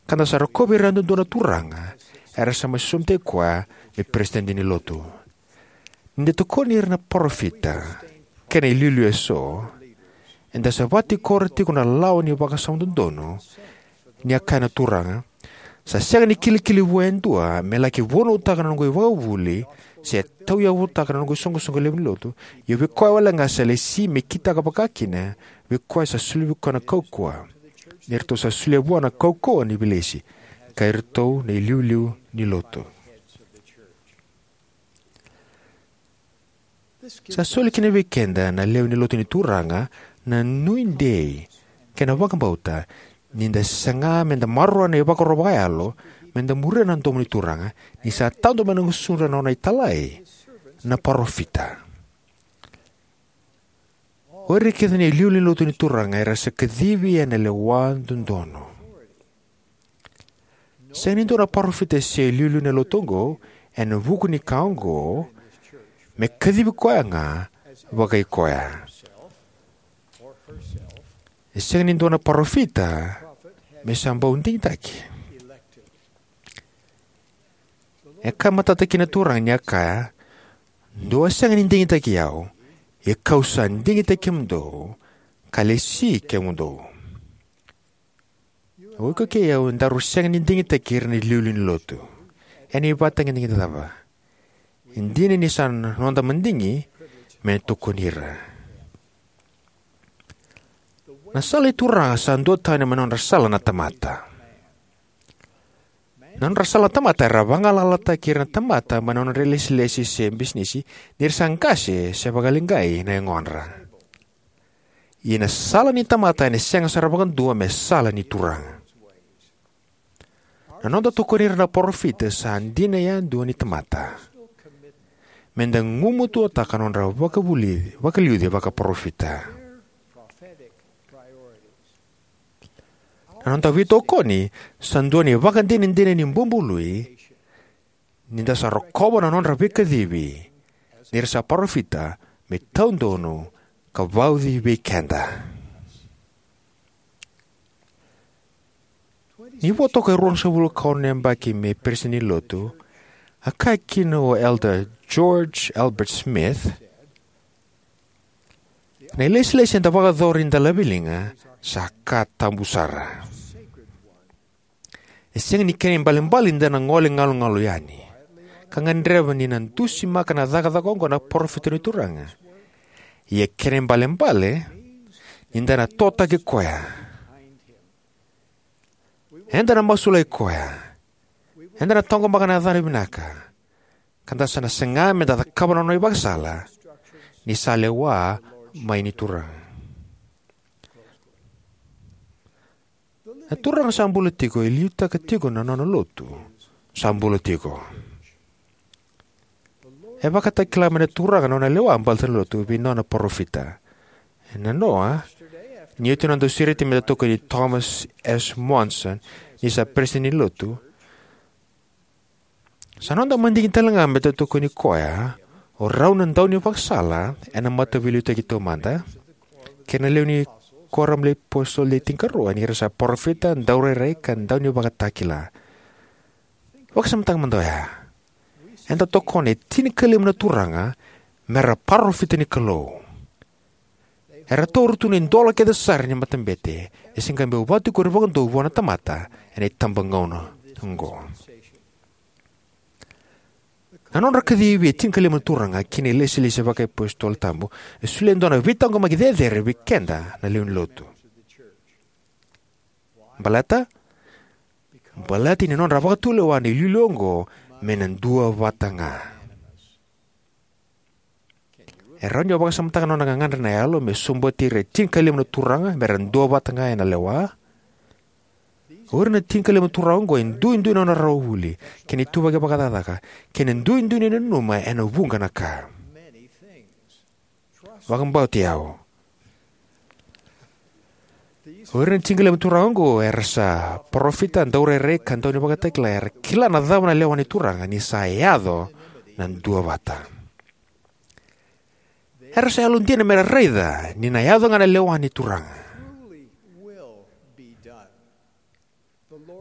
Ka da sa rokovi ira yadudua na Turaga era sa mai sosomitaki koya me Peresitedi ni Lotu. Ni da tokoni ira na parofita kei na iliuliu eso, eda sa vakatikora tiko na lawa ni vakasama dodonu. Ni a kaya na Turaga, sa sega ni kilikili vua e dua me laki vunautaka na noqu ivakavuvuli se tauyavutaka na noqu isoqosoqo levu ni lotu. Ia vei koya wale ga sa lesi me kitaka vaka kina, vei koya sa solia vei koya na kaukauwa, ni ratou sa solia vua na kaukauwa ni veilesi, ka iratou na iliuliu ni lotu. Sa soli kina vei keda na lewe ni lotu ni Turaga na nuidei kei na vakabauta ni da saga me da maroroya na ivakaro vakayalo, me da muria na domo ni Turaga, ni sa tadu mai na gusudra na nona italai na parofita. O ira kece na iliuliu ni lotu ni Turaga era sa kacivi ena lewa dodonu. Sega ni dua na parofita se iliuliu na lotu oqo, ena vuku ni ka oqo, me kacivi koya ga vakai koya. E sega ni dua na parofita me sa bau digitaki. E ka matata kina na Turaga ni a kaya, dou a sega ni digitaki au, ia kau sa digitaki kemudou, ka lesi kemudou. O iko kei au daru sega ni digitaki ira na iliuliu ni lotu. Ena ivakatagedegede cava? E dina ni sa noda madigi me tokoni ira. Na sala i Turaga sa duatani mai na nodra sala na tamata. Na nodra sala na tamata era vagalalataki ira na tamata mai na nodra ilesilesi se bisinisi, ni ra sa qase se vakaleqai na yagodra. Ia na sala ni tamata ena sega sara vakadua me sala ni Turaga. Na noda tokoni ira na parofita sa dina yadua ni tamata. Me da gumatuataka na nodra vakavuli, vakaliuci vakaparofita. Na noda veitokoni sa dua na ivakadinadina ni bubului, ni da sa rokova na nodra veikacivi ni ra sa parofita me taudonu ka vauci vei keda. Ni vo toka e ruasagavulu ka ono na yabaki me peresitedi ni lotu, a kaya kina o Elder George Albert Smith, Na ilesilesi eda vakayacora ni da laveliga sa ka tabu sara. E sega ni kena ibalebale ni da na gole galugalu yani ka gadreva ni na dusimaka na cakacaka oqo na parofita ni Turaga. Ia e kena ibalebale ni da na totaki koya. Eda na masulaki koya. Eda na taqomaka na yacana vinaka, ka da sa na saga me da cakava na nona ivakasala ni sa lewa mai ni Turaga. Na Turaga sa bula tiko e liutaka tiko na nona lotu sa bula tiko. E vakatakila mai na Turaga na nona lewa baleta na lotu vei nona parofita. Ena noa, ni oti na noda sureti me da tokoni Thomas S. Monson ni sa peresitedi ni lotu, sa noda madigi tale ga me da tokoni koya o rau na daunivakasala ena Mataveiliutaki Taumada kei na lewe ni Kuoramu ni iApositolo Le Tinikarua ni ra sa parofita, daurairai, ka daunivakatakila. Vakasamataka mada oya. Eda tokona e tinikalima na turaga me ra parofita ni Kalou. Era taura tu na idola kece sara ni matabete e se qai bau vakatikori vakadua vua na tamata ena itabagauna oqo. Na nodra kacivi e tinikalima na turaga ki na ilesilesi vakaiapositolo tabu e solia e dua na veitaqomaki cecere vei keda na lewe ni lotu. Baleta, baleta ni nodra vakatulewa na iliuliu oqo me na duavata ga. E rawa ni o vakasamataka na nona gagadre na yalo me sobuti ira e tinikalima na turaga me ra duavata ga ena lewa? O ira na tinikalima na turaga oqo e duidui na nodra rawa vuli kei na ituvaki vakacakacaka kei na duidui ni nanuma ena vuqa na ka. Vakabauti au. O ira na tinikalima na turaga oqo era sa parofita, daurairai, ka daunivakatakila. Era kila na cava na lewa ni Turaga ni sa yaco na duavata. Era sa yalodina me ra raica ni na yaco ga na lewa ni Turaga.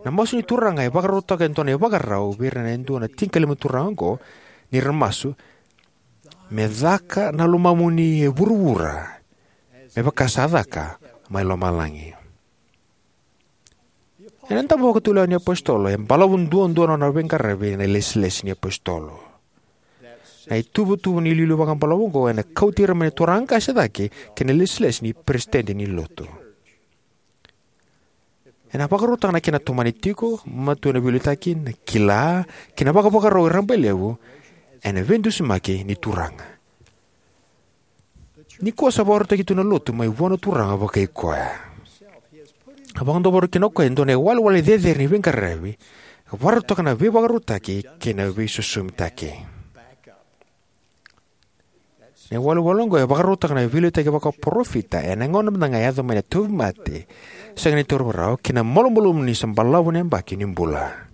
Na masu ni Turaga e vakarautaka e dua na ivakarau vei ira na dua na tinikalima na turaga oqo, ni ra masu: "Me caka na lomamuni e vuravura me vaka sa caka mai lomalagi." Ena dabo vakatulewa ni apositolo, e balavu duadua na nona veiqaravi ena ilesilesi ni apositolo. Na ituvatuva ni iliuliu vakabalavu oqo ena kauti ira mai na turaga qase cake ki na ilesilesi ni peresitedi ni lotu. Ena vakarautaka na kena tomani tiko, matua ena veiliutaki, na kila, kei na vakavakarau e rabailevu ena veidusimaki ni Turaga. Nikua sa vakarautaki tu na lotu mai vua na Turaga vakai koya. A vakadavora kina o koya e dua na iwalewale cecere ni veiqaravi, ka vakarautaka na veivakarautaki kei na veisosomitaki. Na iwalewale oqo e vakarautaka na veiliutaki vakaparofita ena gauna mada ga e yaco mai na tauvimate sega ni tauri vakarau kei na malumalumu ni sa balavu na yabaki ni bula.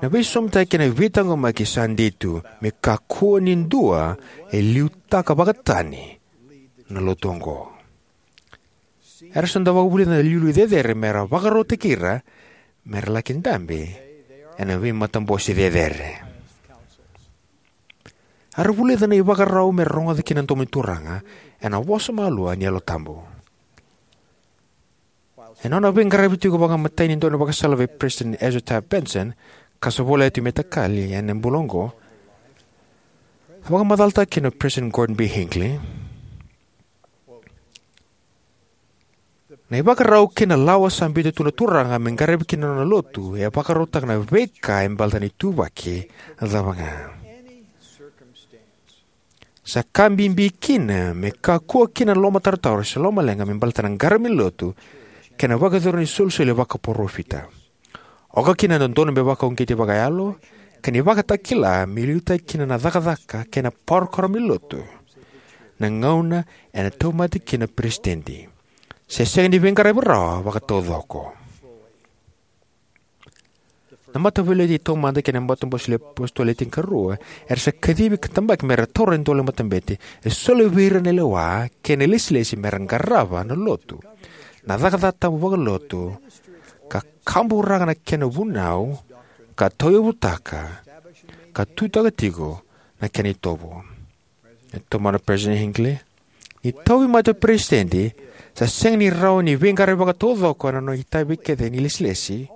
Na veisosomitaki kei na veitaqomaki sa dei tu, me kakua ni dua e liutaka vakatani na lotu oqo. Era sa dau vakavulica na iliuliu cecere me ra vakarautaki ira me ra laki dabe ena veimatabose cecere. Era vulica na ivakarau me ra rogoca kina na domo ni Turaga ena vosa malua ni Yalo Tabu. Ena nona veiqaravi tiko vakamatai ni daunivakasala vei President Ezra Taft Benson, ka sa volai tu me takali ena bula oqo, a vakamacalataka kina o President Gordon B. Hinckley: "Na ivakarau kei na lawa sa biuta tu na Turaga me qaravi kina na nona lotu e vakarautaka na veika e baleta na ituvaki cava ga. Sa ka bibi kina me kakua kina na lomatarotaro se lomaleqa me baleta na qaravi ni lotu kei na vakayacori ni isolisoli vakaparofita. Oka kina na dodonu me vakauqeti vakayalo kei na ivakatakila me liutaki kina na cakacaka kei na parokaramu ni lotu, na gauna ena tauvimate kina na peresitedi, se sega ni veiqaravi rawa vakataucoko." Na Mataveiliutaki Taumada kei na Matabose ni iApositolo Le Tinikarua era sa kacivi ka tabaki me ra taura na idola ni matabete e soli vei ira na lewa kei na ilesilesi me ra qarava na lotu, na cakacaka tabu vakalotu, ka kaburaka na kena vunau, ka tauyavutaka, ka tutaka tiko na kena itovo. E tomana President Hinckley, ni tauvimate o peresitedi, sa sega ni rawa ni veiqaravi vakataucoko ena nona itavi kece ni ilesilesi.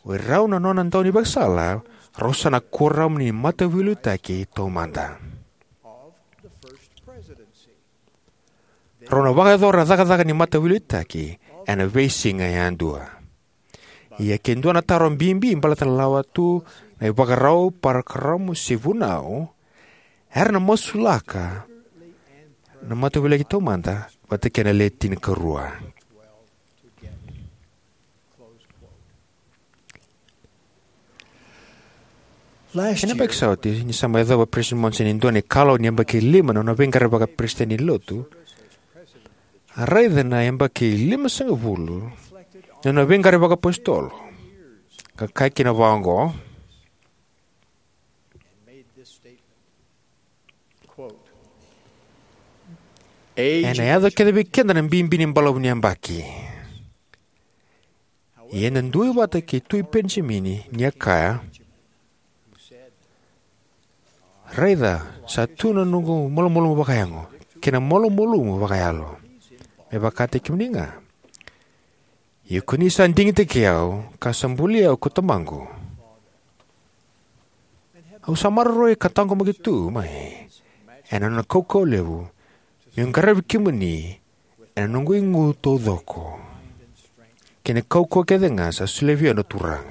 O irau na nona daunivakasala, rau sa na kuoramu ni mataveiliutaki taumada. Rau na vakayacora na cakacaka ni mataveiliutaki ena veisiga yadua. Ia ke dua na taro bibi baleta na lawa tu na ivakarau, parokaramu se vunau, era na masulaka na mataveiliutaki taumada vata kei na Le Tinikarua. Ena yabaki sa oti, ni sa mai yacova President Monson e dua na ikalawa ni yabaki lima na nona veiqaravi vakaperesitedi ni Lotu, a raica na yabaki limasagavulu na nona veiqaravi vakaapositolo, ka kaya kina vaqo: Ena yaco kece vei keda na bibi ni balavu ni yabaki. Ia eda duavata kei Tui Penijamini, ni a kaya: Raica, sa tu na noqu malumalumu vakayago kei na malumalumu vakayalo. Me vakataki kemuni ga. Ia ko ni sa digitaki au, ka sa buli au ko Tamaqu. Au sa maroroi ka taqomaki tu mai ena nona kaukauwa levu, meu qaravi kemuni ena noqu igu taucoko kei na kaukauwa kece ga sa solia vei au na Turaga.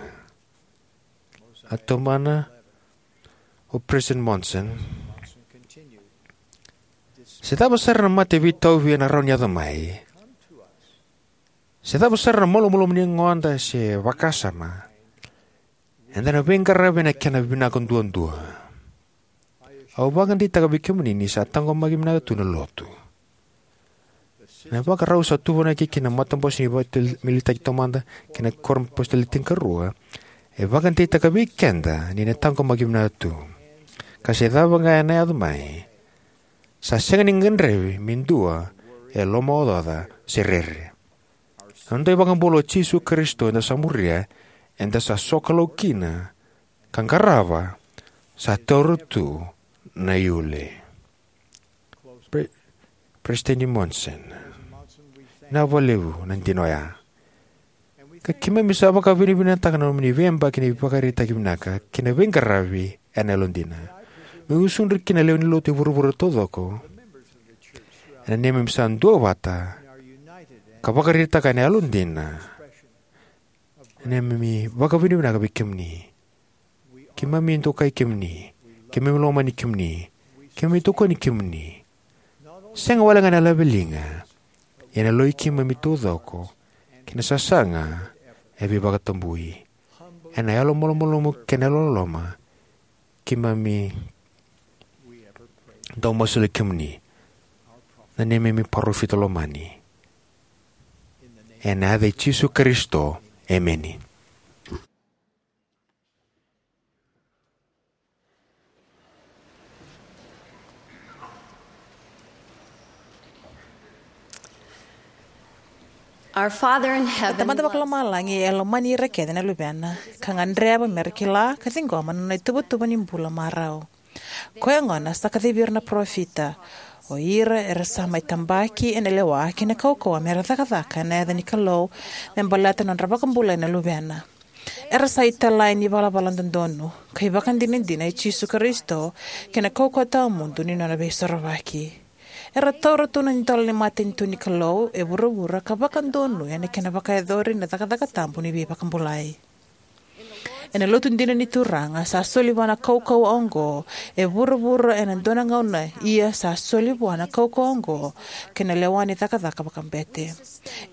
A tomana o President Monson: Se cava sara na mate veitauvi ena rawa ni yaco mai, se cava sara na malumalumu ni yagoda se vakasama, eda na veiqaravi ena kena vinaka duadua. Au vakadeitaka vei kemuni ni sa taqomaki vinaka tu na Lotu. Na ivakarau sa tuvanaki ki na Matabose ni Veimaliwai Taumada kei na Kuoramu ni iApositolo Le Tinikarua e vakadeitaka vei keda ni na taqomaki vinaka tu. Ka se cava ga ena yaco mai, sa sega ni gadrevi me dua e lomaocaoca se rere. Na noda iVakabula o Jisu Karisito eda sa muria, eda sa sokalou kina, ka qarava, sa taura tu na iule. Pre-, President Monson, vinaka vakalevu na dina oya. Ka keimami sa vakavinavinakataka na nomuni veiyabaki ni ivakaraitaki vinaka kei na veiqaravi ena yalodina. Meu gusudra kina na lewe ni Lotu e vuravura taucoko ena neimami sa duavata ka vakaraitaka ena yalodina na neimami vakavinavinaka vei kemuni. Keimami dokai kemuni. Keimami lomani kemuni. Keimami tokoni kemuni, sega walega ena laveliga, ia ena yaloi keimami taucoko kei na sasaga e veivakatabui. Ena yalomalumalumu kei na yalololoma, keimami dau masulaki kemuni, na neimami parofita lomani. Ena yaca i Jisu Karisito, emeni. Our Father in heaven, Tamada Vakalomalagi e lomani ira kece na Luvena, ka gadreva me ra kila ka ciqoma na nona ituvatuva ni bula marau. Koya gona sa kacivi ira na parofita, o ira era sa mai tabaki ena lewa kei na kaukauwa me ra cakacaka ena yaca ni Kalou, me baleta na nodra vakabulai na Luvena. Era sa italai ni valavala dodonu ka ivakadinadina i Jisu Karisito kei na kaukauwa tawamudu ni nona veisorovaki. Era taura tu na idola ni matanitu ni Kalou e vuravura ka vakadonuya na kena vakayacori na cakacaka tabu ni veivakabulai. Ena Lotu dina ni Turaga, sa soli vua na kaukauwa oqo e vuravura ena dua na gauna, ia sa soli vua na kaukauwa oqo kei na lewa ni cakacaka vakabete.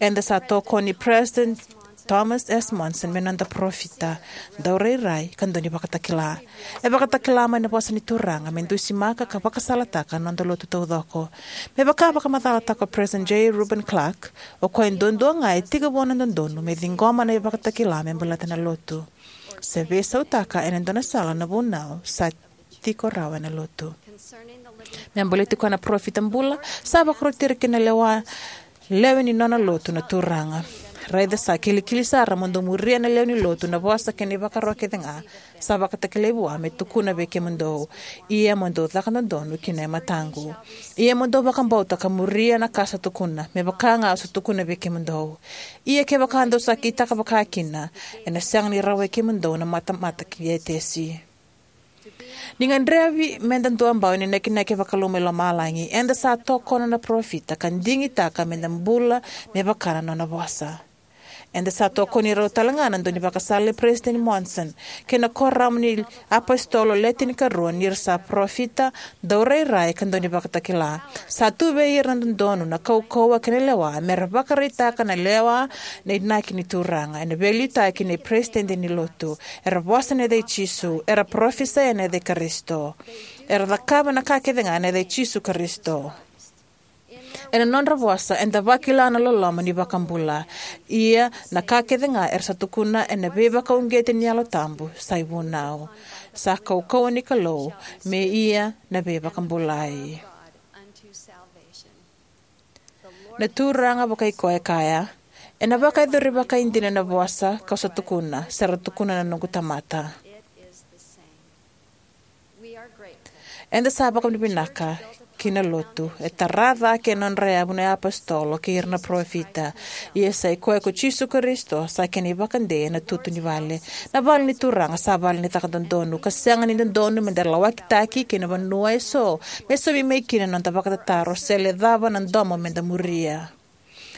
Eda sa tokoni President Thomas S. Monson me noda parofita, daurairai, ka daunivakatakila. E vakatakila mai na vosa ni Turaga me dusimaka ka vakasalataka na noda lotu taucoko. Me vaka vakamacalataka o President J. Reuben Clark, o koya duadua ga e tekivu na dodonu me ciqoma na ivakatakila me baleta na lotu, se veisautaka ena dua na sala na vunau sa tiko rawa ena lotu. Me baleti koya na parofita bula, sa vakaroti ira kina na lewa lewe ni nona lotu na Turaga. Raica sa kilikili sara mo dou muria na lewe ni lotu, na vosa kei na ivakaro kece ga sa vakatakilai vua me tukuna vei kemudou. Ia mo dou caka dodonu kina e mataqu. Ia mo dou vakabauta ka muria na ka sa tukuna, me vaka ga au sa tukuna vei kemudou. Ia kevaka dou sa kitaka vakakina, ena sega ni rawai kemudou na matamata ki Etesi. Ni gadrevi meda dua bau ni nakinaki vakalou mai lomalagi, eda sa tokona na parofita ka digitaka meda bula me vaka na nona vosa. Eda sa tokoni rau talega na daunivakasala i Peresitedi Monson kei na kuoramu ni apositolo Le Tinikarua ni ra sa parofita, daurairai ka daunivakatakila. Sa tu vei ira na dodonu, na kaukauwa kei na lewa me ra vakaraitaka na lewa, na inaki ni Turaga ena veiliutaki nei Peresitedi ni Lotu. Era vosa ena yaca i Jisu, era parofisai ena yaca i Karisito, era cakava na ka kece ga ena yaca i Jisu Karisito. Ena nodra vosa eda vakila na loloma ni Vakabula. Ia na ka kece ga era sa tukuna ena veivakauqeti ni Yalo Tabu sa ivunau. Sa kaukauwa ni Kalou me ia na veivakabulai. Na Turaga vakai koya e kaya, ena vakayacori vakaidina na vosa kau sa tukuna, sa ra tukuna na noqu tamata. Eda sa vakavinavinaka ki na lotu e tara cake e nodra yavu na iapositolo kei ira na parofita. Ia sa i koya ko Jisu Karisito sa kena ivakadei ena tutu ni vale. Na vale ni Turaga sa vale ni caka dodonu, ka sega ni dodonu meda lawakitaki kei na vanua eso me saumi mai kina na noda vakatataro se le cava na domo meda muria.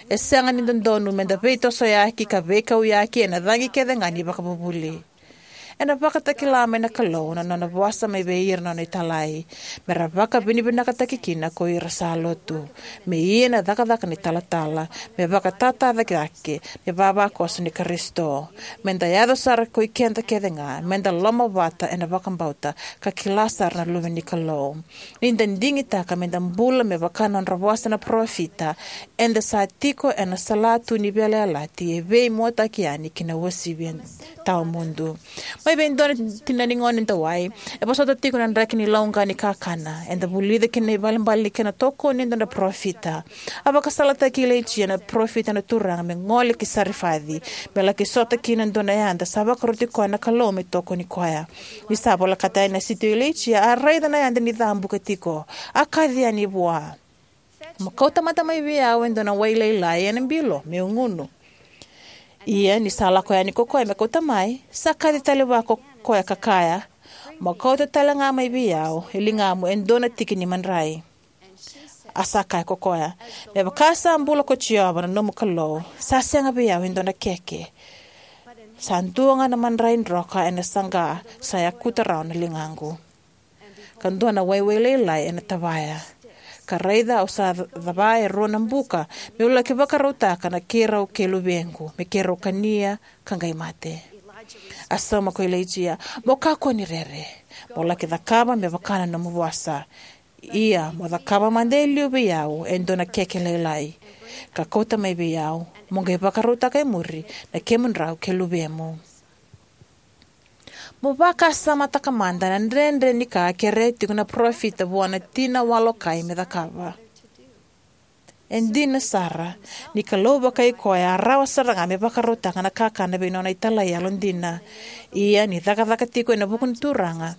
E sega ni dodonu meda veitosoyaki ka veikauyaki ena cagi kece ga ni vakavuvuli. Ena vakatakila mai na Kalou na nona vosa mai vei ira na nona italai, me ra vakavinavinakataki kina ko ira sa lotu, me ia na cakacaka ni talatala, me vakatatara cake me vavakoso ni Karisito. Meda yaco sara ko i keda kece ga, meda lomavata ena vakabauta ka kila sara na Luve ni Kalou. Ni da digitaka meda bula me vaka na nodra vosa na parofita, eda sa tiko ena salatu ni veiyalayalati e veimuataki yani ki na uasivi tawamudu. Mai vei dua na tina ni gone dawai e vosota tiko na draki ni lauqa ni kakana. Eda vulica ki na ibalebale ni kena tokoni e dua na parofita. A vakasalataki Ilaijia na parofita na Turaga me gole ki Sarifaci, me laki sota kina e dua na yada sa vakaroti koya na Kalou me tokoni koya. Ni sa volekata yani na siti o Ilaijia, a raica na yada ni cabuka tiko. A kaci yani vua, "Mo kauta mada mai vei au e dua na wai lailai ena bilo, meu gunu." Ia ni sa lako yani ko koya me kauta mai, sa kaci tale vua ko koya ka kaya, "Mo kauta tale ga mai vei au e ligamu e dua na tiki ni madrai." A sa kaya ko koya, "Me vaka sa bula ko Jiova na nomu Kalou, sa sega vei au e dua na keke. Sa dua ga na madrai droka ena saqa sa yakuta rawa na ligaqu, ka dua na waiwai lailai ena tavaya. Ka raica, au sa cava e rua na buka, meu laki vakarautaka na keirau kei luvequ me keirau kania ka qai mate." A sauma ko Ilaijia, "Mo kakua ni rere, mo laki cakava me vaka na nomu vosa. Ia mo cakava mada e liu vei au e dua na keke lailai, ka kauta mai vei au, mo qai vakarautaka e muri na kemudrau kei luvemu." Mo vakasamataka mada na dredre ni ka a kerea tiko na parofita vua na tina walokai me cakava. E dina sara, ni Kalou vakai koya a rawa sara ga me vakarautaka na kakana vei nona italai yalodina. Ia ni cakacaka tiko ena vuku ni Turaga,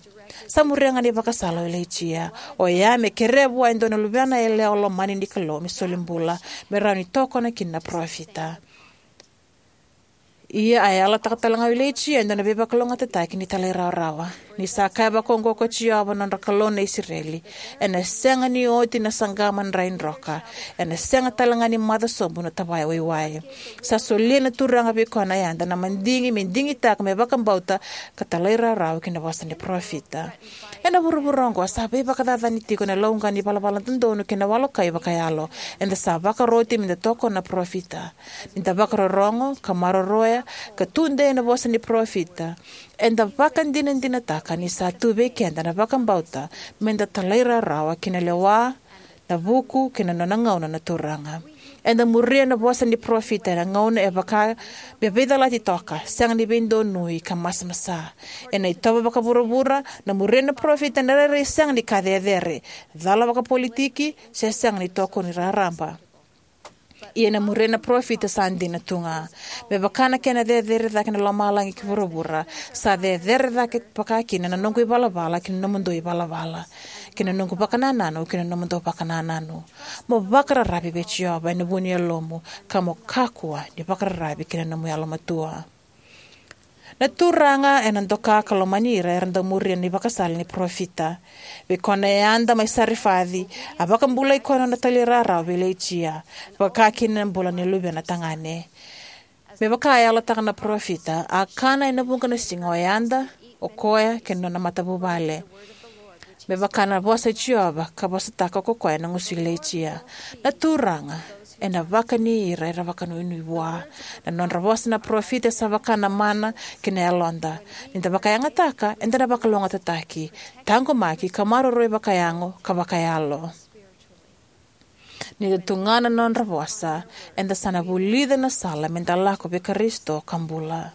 sa muria ga na ivakasala o Ilaijia, oya me kerea vua e dua na luvena yalewa lomani ni Kalou me soli bula, me rawa ni tokona kina na parofita. Ia a yalataka tale ga o Ilaijia e dua na veivakalougatataki ni talairawarawa. Ni sa kaya vakaoqo ko Jiova na nodra Kalou na Isireli, "Ena sega ni oti na saqa madrai droka, ena sega tale ga ni maca sobu na tavaya waiwai." Sa solia na Turaga vei koya na yada na madigi me digitaka me vakabauta ka talairawarawa ki na vosa ni parofita. Ena vuravura oqo sa veivakacacani tiko na lauqa ni valavala dodonu kei na walokai vakayalo. Eda sa vakaroti meda tokona na parofita. Ni da vakarorogo ka maroroya ka tudei ena vosa ni parofita, eda vakadinadinataka ni sa tu vei keda na vakabauta meda talairawarawa ki na lewa, na vuku kei na nona gauna na Turaga. Eda muria na vosa ni parofita ena gauna e vaka me veicalati toka, sega ni veidonui ka masamasa. Ena itovo vakavuravura, na muria na parofita ena rairai sega ni ka cecere, cala vakapolitiki, se sega ni tokoni raraba. Ia na muria na parofita sa dina tu ga. Me vaka na kena cecere cake na lomalagi ki vuravura, sa cecere cake vakakina na noqu ivalavala ki na nomudou ivalavala, ki na noqu vakanananu ki na nomudou vakanananu. Mo vakararavi vei Jiova ena vu ni yalomu, ka mo kakua ni vakararavi ki na nomu yalomatua. Na Turaga ena doka ka lomani ira era dau muria na ivakasala ni parofita. Vei koya na yada mai Sarifaci, a vakabulai koya na nona talairawarawa vei Ilaija, vakakina na bula ni luvena tagane. Me vaka a yalataka na parofita, a kana ena vuqa na siga o yada, o koya kei na nona matavuvale. Me vaka na vosa i Jiova ka vosataka ko koya ena gusu i Ilaija. Na Turaga ena vakani ira era vakanuinui vua. Na nodra vosa na parofita e sa vaka na mana ki na yaloda. Ni da vakayagataka, eda na vakalougatataki, taqomaki ka maroroi vakayago ka vakayalo. Ni da tu ga na nodra vosa, eda sa na vulica na sala me da lako vei Karisito ka bula.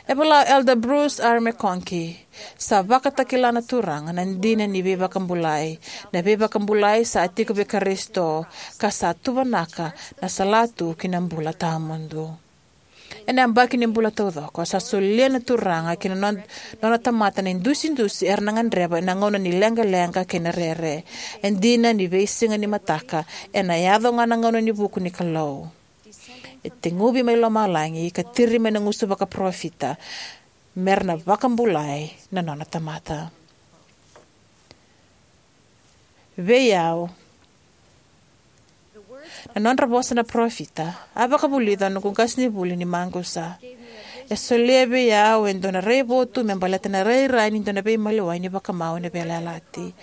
E vola o Elder Bruce R. McConkie, sa vakatakila na Turaga na dina ni veivakabulai. Na veivakabulai sa tiko vei Karisito, ka sa tuvanaka na salatu ki na bula tawamudu. Ena yabaki ni bula taucoko, sa solia na Turaga ki na non-, nona tamata na idusidusi era na gadreva ena gauna ni leqaleqa kei na rere. E dina ni veisiga ni mataka ena yaco ga na gauna ni vuku ni Kalou. E teguvi mai lomalagi ka tiri mai na gusu vakaparofita, me ra na vakabulai na nona tamata. Vei au, na nodra vosa na parofita a vakavulica noqu qasenivuli ni maqusa. E solia vei au e dua na raivotu me baleta na rairai ni dua na veimaliwai ni vakamau ena veiyalayalati.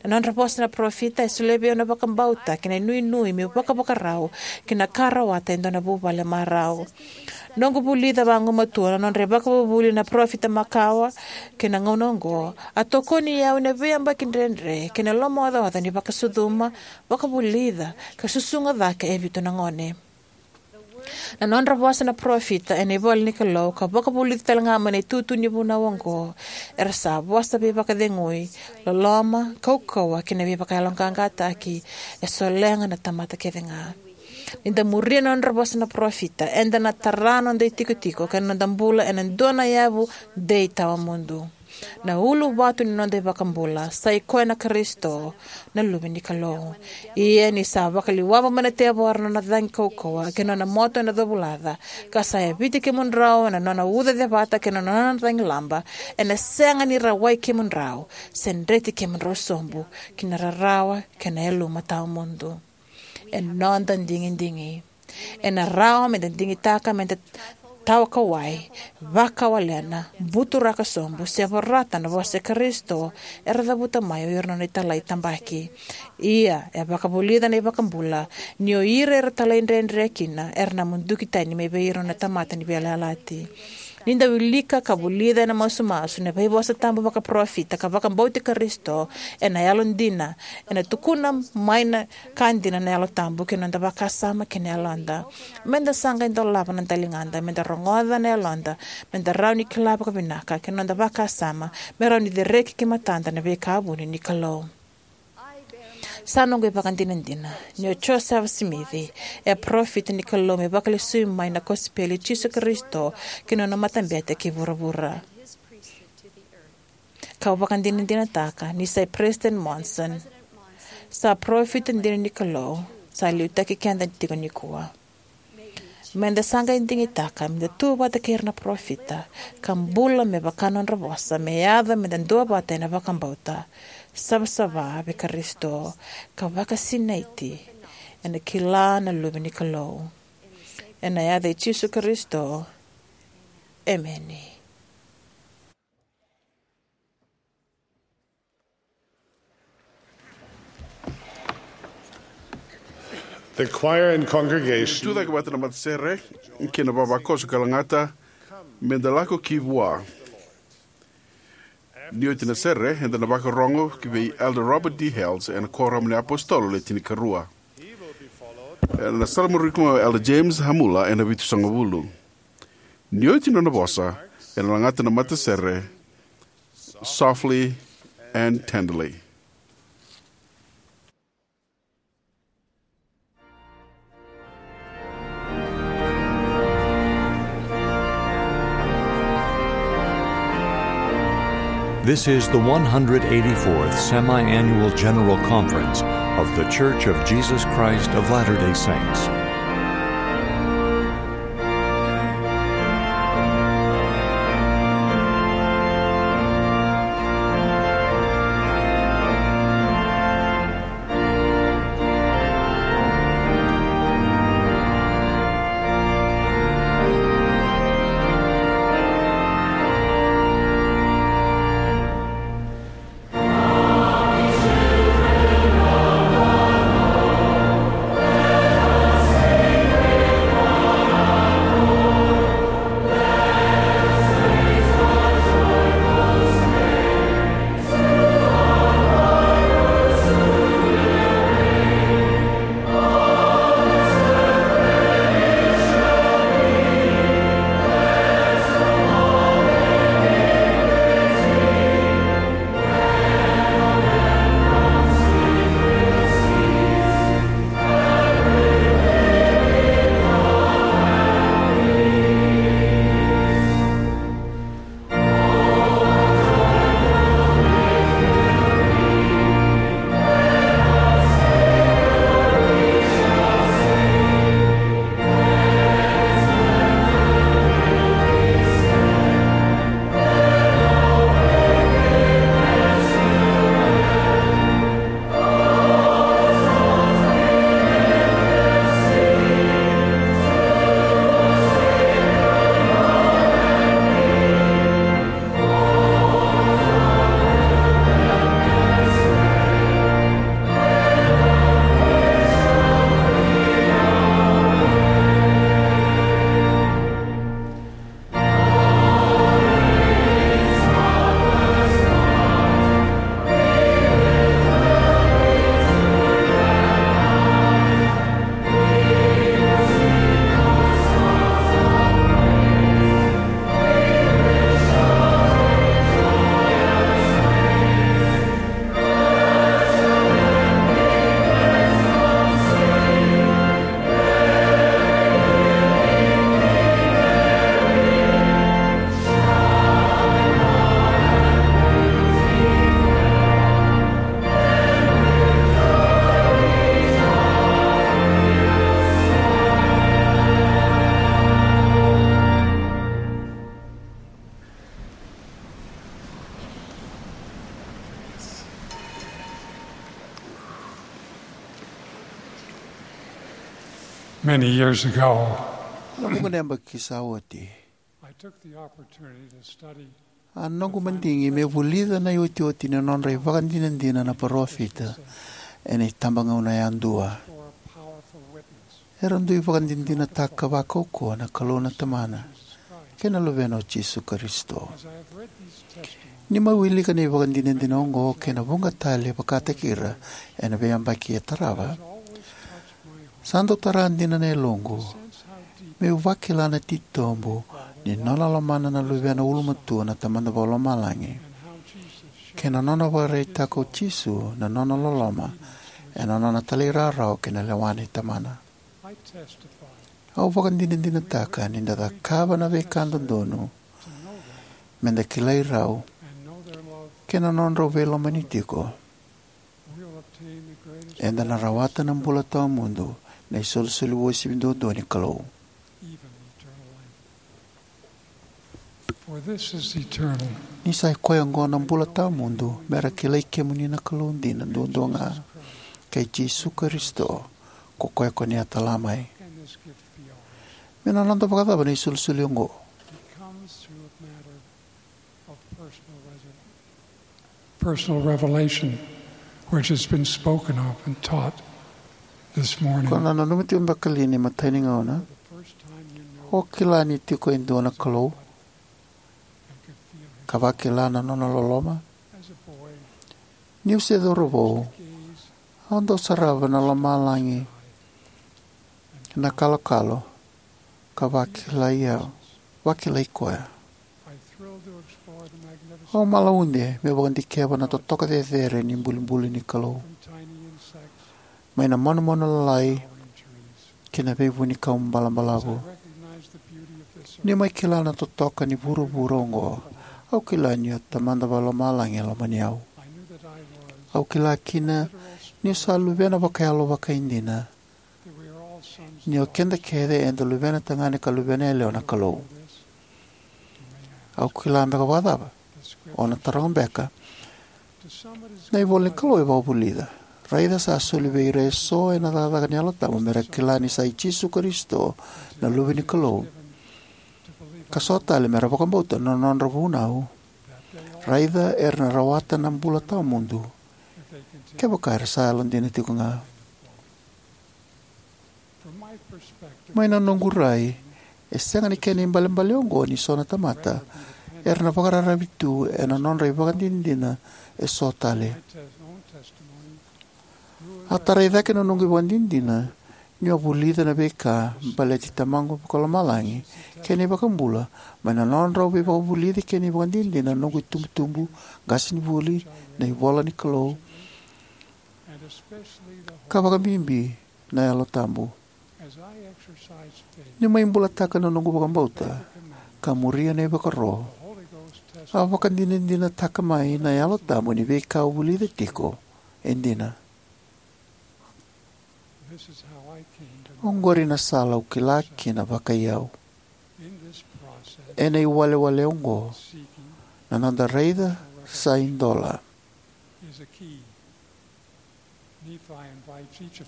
Na nodra vosa na parofita e solia vei au na vakabauta kei na inuinui meu vakavakarau ki na ka rawata e dua na vuvale marau. Noqu vulica vagumatua na nodra ivakavuvuli na parofita makawa kei na gauna oqo, a tokoni au ena veiyabaki dredre kei na lomaocaoca ni vakasucuma, vakavulica, ka susuga cake e vitu na gone. Na nodra vosa na parofita ena ivola ni Kalou ka vakavulica tale ga mai na itutu ni vunau oqo, era sa vosa veivakacegui, loloma, kaukauwa kei na veivakayaloqaqataki. E solega na tamata kece ga. Ni da muria na nodra vosa na parofita, eda na tara noda itikotiko kei na noda bula ena dua na yavu dei tawamudu. Na uluvatu ni noda iVakabula sa i koya na Karisito, na Luve ni Kalou. Ia ni sa vakaliwava mai na tevoro na nona cagi kaukauwa kei na nona moto ena covulaca, ka sa yaviti kemudrau ena nona uca cevata kei na nona cagilaba, ena sega ni rawai kemudrau se dreti kemudrau sobu ki na rarawa kei na yaluma tawamudu. E noda digidigi. Ena rawa meda digitaka meda tawakawai, vakawalena, buturaka sobu, se vorata na vosa i Karisito era cavuta mai o ira na nona italai tabaki. Ia, e vakavulica na iVakabula, ni o ira era talaidredre kina era na muduki tani mai vei ira na tamata ni veiyalayalati. Ni da wilika ka vulica ena masumasu na veivosa tabu vakaparofita ka vakabauti Karisito ena yalodina, ena tukuna mai na ka dina na Yalo Tabu ki na noda vakasama kei na yaloda. Meda sa qai dolava na daligada, meda rogoca na yaloda, meda rawa ni kila vakavinaka ki na noda vakasama, me rawa ni cereki ki matada na veika vuni ni Kalou. Sa noqu ivakadinadina ni o Josefa Simici e parofita ni Kalou me vakalesui mai na kosipeli i Jisu Karisito ki na nona matabete ki vuravura. Kau vakadinadinataka ni sa i Peresitedi Monson sa parofita dina ni Kalou, sa liutaki keda tiko nikua. Meda sa qai digitaka meda tu vata kei ira na parofita ka bula me vaka na nodra vosa, me yaco meda duavata ena vakabauta, savasava vei Karisito, ka vakasinaiti ena kila na Luve ni Kalou. Ena yaca i Jisu Karisito, emeni. The choir and congregation. Tucake vata na matasere kei na vavakoso ka lagata, meda lako ki vua. Ni oti na sere, eda na vakarogo ki vei Elder Robert D. Hales ena Kuoramu ni iApositolo Le Tinikarua. Ena salamuria mai o Elder James Hamula ena vitusagavulu. Ni oti nona vosa, ena lagata na matasere, Softly and Tenderly. This is the one hundred eighty-fourth Semi-Annual General Conference of The Church of Jesus Christ of Latter-day Saints. Many years ago, Na vuqa na yabaki sa oti, I took the opportunity to study a noqu madigi me vulica na iotioti ni nodra ivakadinadina na parofita ena itabagauna yadua. For a powerful witness. Era dui vakadinadinataka vakaukauwa na Kalou na Tamana kei na Luvena o Jisu Karisito. As I have read these testimonies, Ni mai wilika na ivakadinadina oqo kei na vuqa tale vakataki ira ena veiyabaki e tarava, sa dau tara dina na yaloqu meu vakila na titobu ni nona lomana na Luvena ulumatua na Tamada Vakalomalagi, kei na nona vakaraitaka o Jisu na nona loloma ena nona talairawarawa ki na lewa nei Tamana. Au vakadinadinataka ni da cakava na veika dodonu me da kilai rau kei na nodrau veilomani tiko, eda na rawata na bula tawamudu, na isolisoli uasivi duadua ni Kalou. For this is eternal. Ni sa i koya oqo na bula tawamudu, me ra kilai kemuni na Kalou dina duadua ga, kei Jisu Karisito, ko koya ko ni a tala mai. Can this gift be ours? Me na noda vakacava na isolisoli oqo? It comes through a matter of personal resu-, personal revelation, which has been spoken of and taught this morning. Ko na nanuma tiko beka li ni matai ni gauna o kila ni tiko e dua na Kalou, ka vakila na nona loloma? Niu se cauravou, au dau sarava na lomalagi na kalokalo ka vakilai au, vakilai koya. Au malaude meu vakadikeva na totoka cecere ni bulibuli ni Kalou, mai na manumanu lalai ki na veivunikau balabalavu. Niu mai kila na totoka ni vuravura oqo, Au kila ni o Tamada Vakalomalagi e lomani au. Au kila kina niu sa luvena vakayalo vakaidina, ni o keda kece eda luvena tagane ka luvena yalewa na Kalou. Au kila beka vakacava? O na taroga beka. Na ivola ni Kalou e vakavulica: Raica, sa soli vei ira eso ena cakacaka ni Yalo Tabu me ra kila ni sa i Jisu Karisito na Luve ni Kalou, ka so tale me ra vakabauta na nodra vunau. Raica, era na rawata na bula tawamudu kevaka era sa yalodina tiko ga. Mai na noqu rai, e sega ni kena ibalebale oqo ni so na tamata era na vakararavi tu ena nodra ivakadinadina eso tale. A tarai cake na noqu ivakadinadina niu a vulica na veika baleti Tamaqu Vakalomalagi kei na iVakabula mai na nodrau veivakavulici kei na ivakadinadina na noqu itubutubu, qasenivuli, na ivolanikalou, ka vakabibi na Yalo Tabu. Niu mai bulataka na noqu vakabauta ka muria na ivakaro, a vakadinadinataka mai na Yalo Tabu ni veika au vulica tiko e dina. Oqori na sala au kila kina vakaiyau. Ena iwalewale oqo, na noda raica sa idola.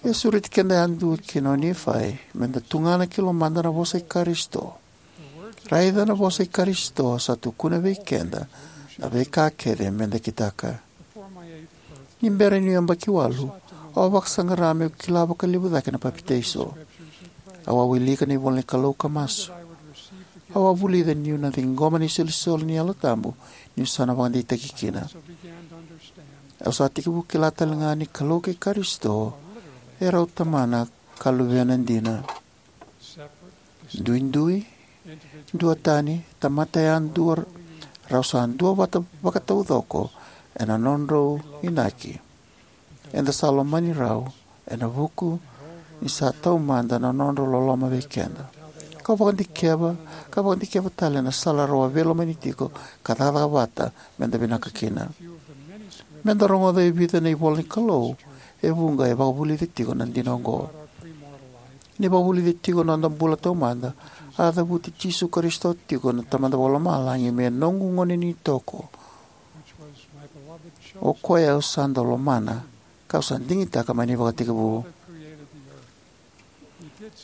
E sureti keda yadua kina o Nifai meda tugana ki lomada na vosa i Karisito. Raica, na vosa i Karisito sa tukuna vei keda na veika kece meda kitaka. Ni bera niu yabaki walu, au a vakasaqara meu kila vakalevu cake na papitaiso. Au a wilika na ivola ni Kalou ka masu. Au a vulica niu na ciqoma na isolisoli ni Yalo Tabu niu sa na vakadeitaki kina. Au sa tekivu kila tale ga ni Kalou kei Karisito e rau Tamana ka Luvena dina. Duidui, duatani, tamata yadua, rau sa duavata vakataucoko ena nodrau inaki. Eda sa lomani rau ena vuku ni sa taumada na nodrau loloma vei keda. Ka vakadikeva, ka vakadikeva tale na sala rau a veilomani tiko ka cakacaka vata meda vinaka kina. Meda rogoca e vica na ivola ni Kalou e vuqa e vakavulica tiko na dina oqo. Ni vakavulica tiko na noda bula taumada, a cavuti Jisu Karisito tiko na Tamada Vakalomalagi me noqu gone ni toko, o koya au sa dau lomana, kau sa digitaka mai na ivakatekivu.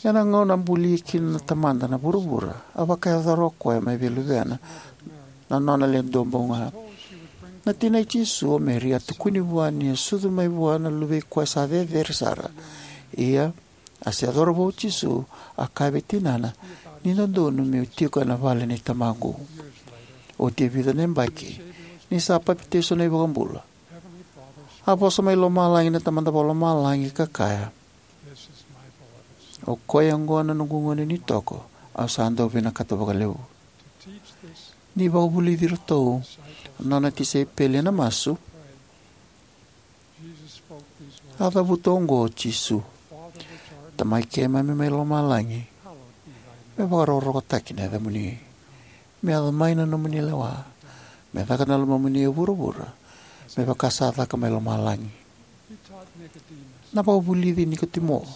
Ena gauna a bulia kina na Tamada na vuravura, a vakayacora o koya mai vei Luvena na nona Le Duabau Ga. Na tina i Jisu, o Meri, a tukuni vua ni a sucu mai vua na Luve i koya sa Cecere Sara. Ia, a se yacova vua o Jisu, a kaya vei tinana, ni dodonu meu tiko ena vale nei Tamaqu. Oti e vica na yabaki, ni sa papitaiso na iVakabula, a vosa mai lomalagi na Tamada Vakalomalagi ka kaya, "O koya oqo na noqu gone ni toko, au sa dau vinakata vakalevu." Ni vakavulici iratou na nona tisaipeli ena masu, a cavuta oqo o Jisu: "Tamai keimami mai lomalagi, me vakarokorokotaki na yacamuni. Me yaco mai na nomuni lewa. Me caka na lomamuni e vuravura, me vaka sa caka mai lomalagi." Na vakavulici Nikotimo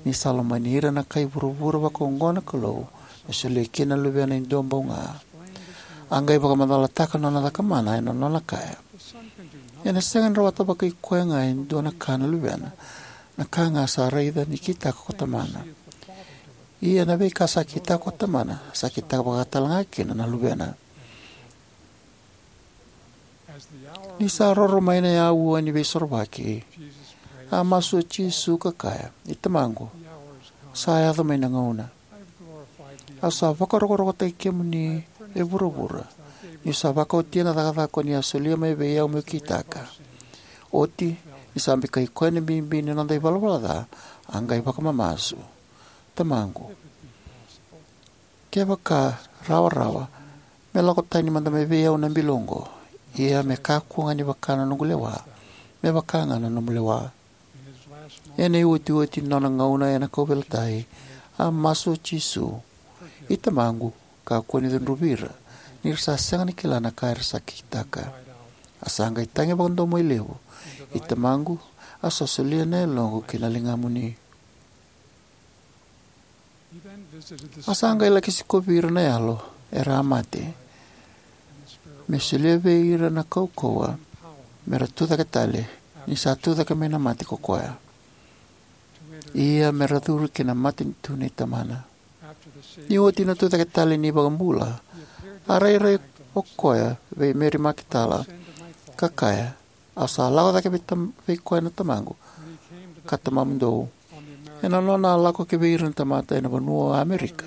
ni sa lomani ira na kai vuravura vakaoqo na Kalou, me solia kina na Luvena e duabau ga. A qai vakamacalataka na nona cakamana ena nona kaya, "Ena sega ni rawata vakai koya ga e dua na ka na Luvena, na ka ga sa raica ni kitaka ko Tamana. Ia na veika sa kitaka ko Tamana, sa kitaka vaka talega kina na Luvena." Ni sa roro mai na aua ni veisorovaki, a masu o Jisu ka kaya, "I Tamaqu, sa yaco mai na gauna. Au sa vakarokorokotaki kemuni e vuravura, niu sa vakaotia na cakacaka ko ni a solia mai vei au meu kitaka." Oti, ni sa bikai koya na bibi ni noda ivalavala ca, a qai vakamamasu, "Tamaqu, kevaka rawarawa, me lako tani mada mai vei au na bilo oqo. Ia me kakua ga ni vaka na noqu lewa, me vaka ga na nomu lewa." Ena iotioti ni nona gauna ena kauveilatai, a masu o Jisu, "I Tamaqu, kakua ni cudruvi ira, ni ra sa sega ni kila na ka era sa kitaka. A sa qai tagi vakadomoilevu, "I Tamaqu, au sa solia na yaloqu ki na ligamuni." A sa qai laki sikovi ira na yalo era a mate, me solia vei ira na kaukauwa me ra tucake tale ni sa tucake mai na mate ko koya, ia me ra curu ki na matanitu nei Tamana. Ni oti na tucake tale ni iVakabula, a rairai o koya vei Meri Makitala, ka kaya, "Au sa lako cake vei, tam, vei koya na Tamaqu ka Tamamudou." Ena nona a lako ki vei ira na tamata ena vanua o Amerika,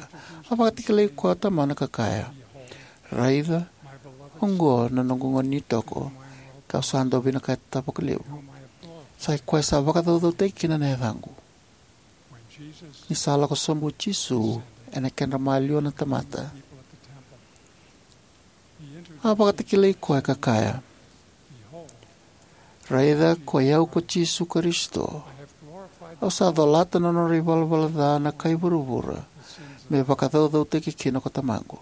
a vakatakilai koya o Tamana ka kaya, "Raica, oqo na noqu gone ni toko, kau sa dau vinakata vakalevu. Sa i koya sa vakacaucautaki kina na yacaqu." Ni sa lako sobu o Jisu ena kedra maliwa na tamata, a vakatakilai koya ka kaya, "Raica, koi au ko Jisu Karisito. Au sa colata na nodra ivalavala ca na kai vuravura me vakacaucautaki kina ko Tamaqu."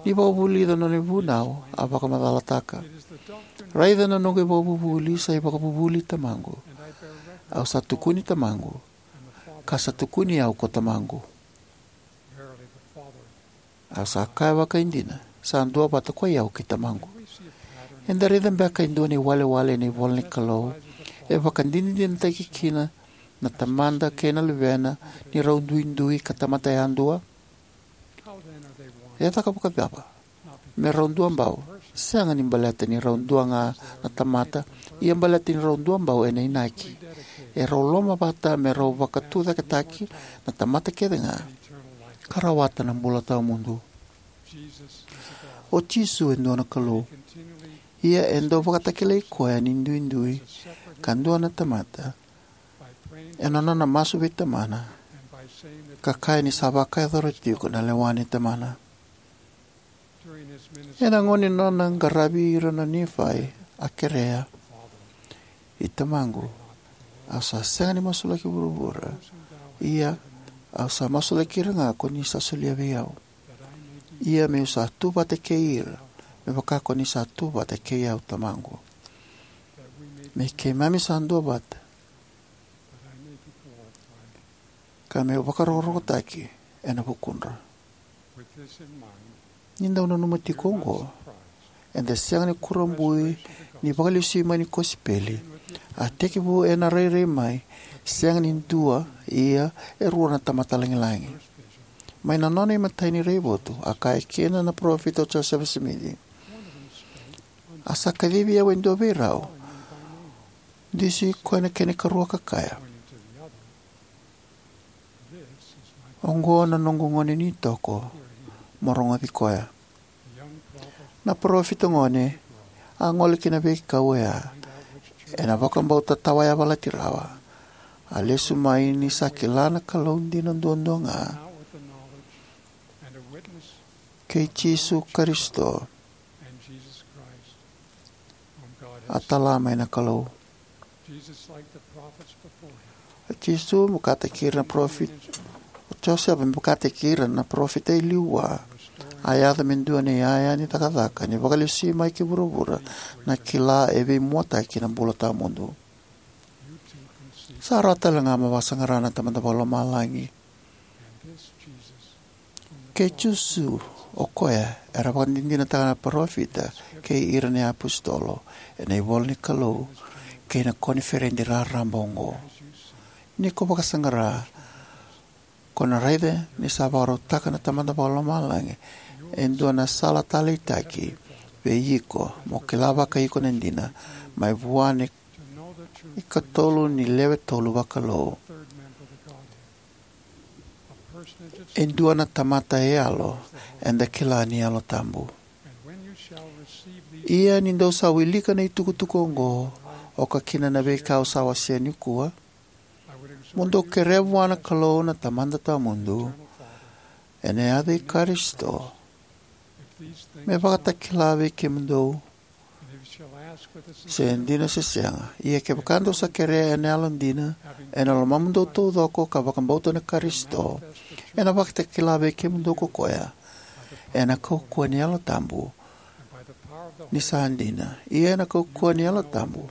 Ni vakavulica na nona ivunau, a vakamacalataka, "Raica na noqu ivakavuvuli sa ivakavuvuli Tamaqu. Au sa tukuni Tamaqu, ka sa tukuni au ko Tamaqu. Au sa kaya vakaidina, sa duavata koi au kei Tamaqu." Eda raica beka e dua na iwalewale ena ivola ni Kalou e vakadinadinataki kina na Tamada kei na Luvena ni rau duidui ka tamata yadua? E caka vakacava me rau duabau? Sega ni baleta ni rau dua ga na tamata, ia baleta ni rau duabau ena inaki. E rau lomavata me rau vakatucaketaki na tamata kece ga ka rawata na bula tawamudu. O Jisu e dua na Kalou, ia e dau vakatakilai koya ni duidui ka dua na tamata ena nona masu vei Tamana ka kaya ni sa vakayacora tiko na lewa nei Tamana. Ena gauna ni nona qaravi ira na Nifai, a kerea, "I Tamaqu, au sa sega ni masulaki vuravura, ia au sa masulaki ira ga ko ni sa solia vei au, ia meu sa tu vata kei ira, me vaka ko ni sa tu vata kei au, Tamaqu, me keimami sa duavata, ka meu vakarokorokotaki ena vukudra." Ni dau nanuma tiko oqo, eda sega ni kurabui ni vakalesui mai ni kosipeli a tekivu ena rairai mai, sega ni dua, ia e rua na tamata lagilagi. Mai na nona imatai ni raivotu, a kaya kina na parofita o Josefa Simici, "A sa kacivi au e dua vei rau, dusi koya na kena ikarua ka kaya, 'Oqo na noqu gone ni toko, mo rogoci koya.'" Na parofita gone a gole ki na veikau oya ena vakabauta tawayavalati rawa. A lesu mai ni sa kila na Kalou dina duadua ga kei Jisu Karisito a tala mai na Kalou. O Jisu, me vakataki ira na parofita, o Josefa, me vakataki ira na parofita e liu vua, a yaco me dua na iyaya ni cakacaka ni vakalesui mai ki vuravura na kila e veimuataki na bula tawamudu. Sa rawa tale ga mo vakasaqara na Tamada Vakalomalagi. Kei Jisu, o koya era vakadinadinataka na parofita kei ira na iapositolo ena ivola ni Kalou kei na koniferedi raraba oqo. Ni ko vakasaqara, ko na raica ni sa vakarautaka na Tamada Vakalomalagi e dua na sala taleitaki vei iko mo kila vakaiko na dina mai vua na ikatolu ni lewe tolu vakalou. E dua na tamata e yalo, eda kila ni Yalo Tabu. Ia ni dou sa wilika na itukutuku oqo, oka kina na veika au sa wasea nikua, mo dou kerea vua na Kalou na Tamada Tawamudu ena yaca i Karisito, me vakatakila vei kemudou se dina se sega. Ia kevaka dou sa kerea ena yalodina, ena lomamudou taucoko, ka vakabauta na Karisito, ena vakatakila vei kemudou ko koya, ena kaukauwa ni Yalo Tabu ni sa dina. Ia ena kaukauwa ni Yalo Tabu,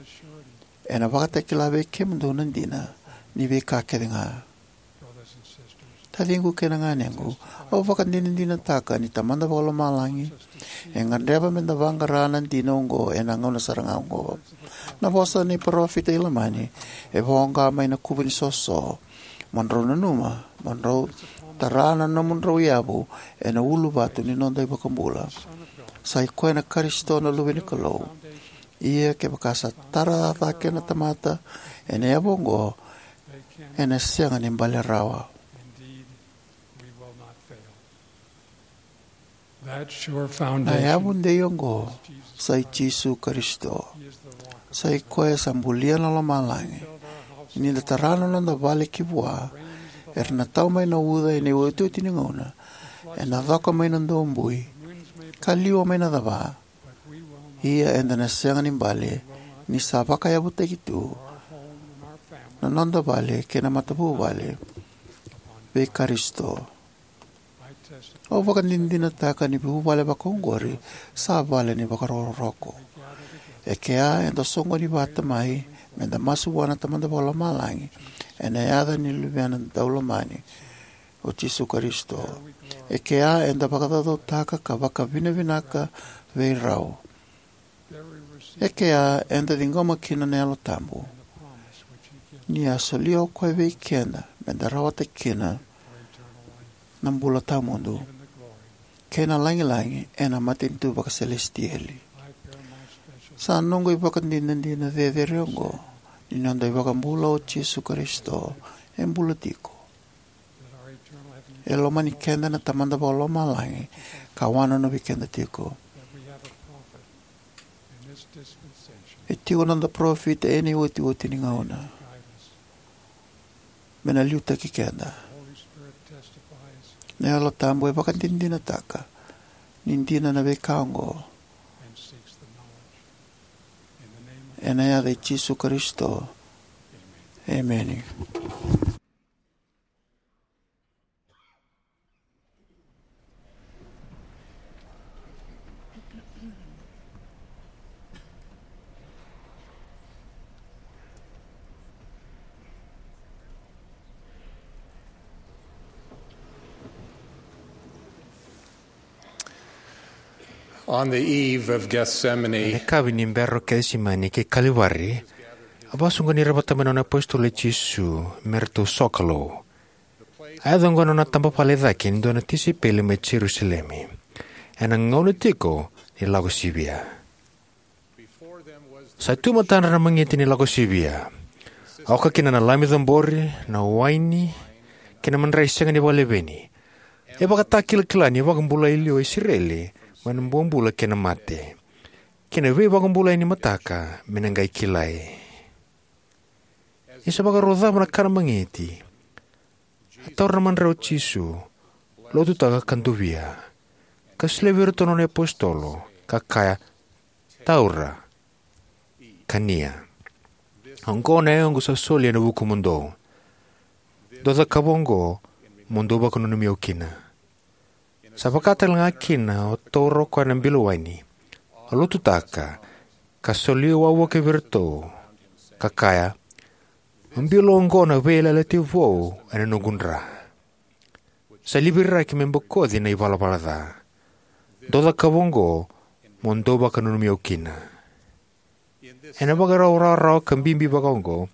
ena vakatakila vei kemudou na dina ni veika kece ga. Taciqu kei na ganequ, au vakadinadinataka ni Tamada Vakalomalagi e gadreva meda vaqara na dina oqo ena gauna sara ga oqo. Na vosa ni parofita i Lamani e voqa mai na kuvu ni soso: Mo drau nanuma, mo drau tara na nomudrau yavu ena uluvatu ni noda iVakabula. Sa i koya na Karisito na Luve ni Kalou. Ia kevaka sa tara cake na tamata ena yavu oqo, ena sega ni bale rawa. Na yavu dei oqo sa i Jisu Karisito. Sa i koya sa bulia na lomalagi. Ni da tara na noda vale ki vua, era na tau mai na uca ena iotioti ni gauna, ena coka mai na dobui, ka liwa mai na cava. Ia eda na sega ni bale, ni sa vakayavutaki tu na noda vale kei na matavuvale vei Karisito. Au vakadinadinataka ni vuvale vakaoqori sa vale ni vakarokoroko. E kea eda soqoni vata mai meda masu vua na Tamada Vakalomalagi ena yaca ni Luvena Daulomani, o Jisu Karisito. E kea eda vakacaucautaka ka vakavinavinaka vei rau. E kea eda ciqoma kina na Yalo Tabu, ni a solia o koya vei keda meda rawata kina na bula tawamudu kei na lagilagi ena matanitu vakaselesitieli. Sa noqu ivakadinadina cecere oqo ni noda iVakabula o Jisu Karisito e bula tiko. E lomani keda na Tamada Vakalomalagi ka wanonovi keda tiko. E tiko noda parofita ena iotioti ni gauna me na liutaki keda. Na Yalo Tabu e vakadinadinataka ni dina na veika oqo. Ena yaca i Jisu Karisito, emeni. On the eve of Gethsemane, ena yakavi ni bera o Kecisemani kei Kalivari, a vakasoqoni ira vata mai na nona apositolo o Jisu me ratou sokalou. A yaco oqo na nona tabavale e cake ni dua na tisaipeli mai Jerusalemi, ena gauna tiko ni Lako Sivia. Sa tu e matadra na magiti ni Lako Sivia, oka kina na lami cabori, na waini, kei na madrai sega ni vakaleveni. E vakatakilakila ni vakabulai liwa o Isireli mai na bobula kei na mate, kei na veivakabulai ni mataka me na qai kilai. Ni sa vakarau cava na kana magiti, a taura na madrai o Jisu, lotutaka ka dovia, ka solia vei iratou na nona apositolo, ka kaya, "Taura, kania. Oqo na yagoqu sa soli ena vukumudou. Dou cakava oqo mo dou vakananumi au kina." Sa vaka tale ga kina, a taura o koya na bilo waini, a lotutaka, ka solia wavoki vei iratou, ka kaya, "Mo bilo oqo na veiyalayalati vou ena noqu dra, sa liviraki me bokoci na ivalavala ca. Dou cakava oqo mo dou vakananumi au kina." Ena ivakarau rawarawa ka bibi vakaoqo,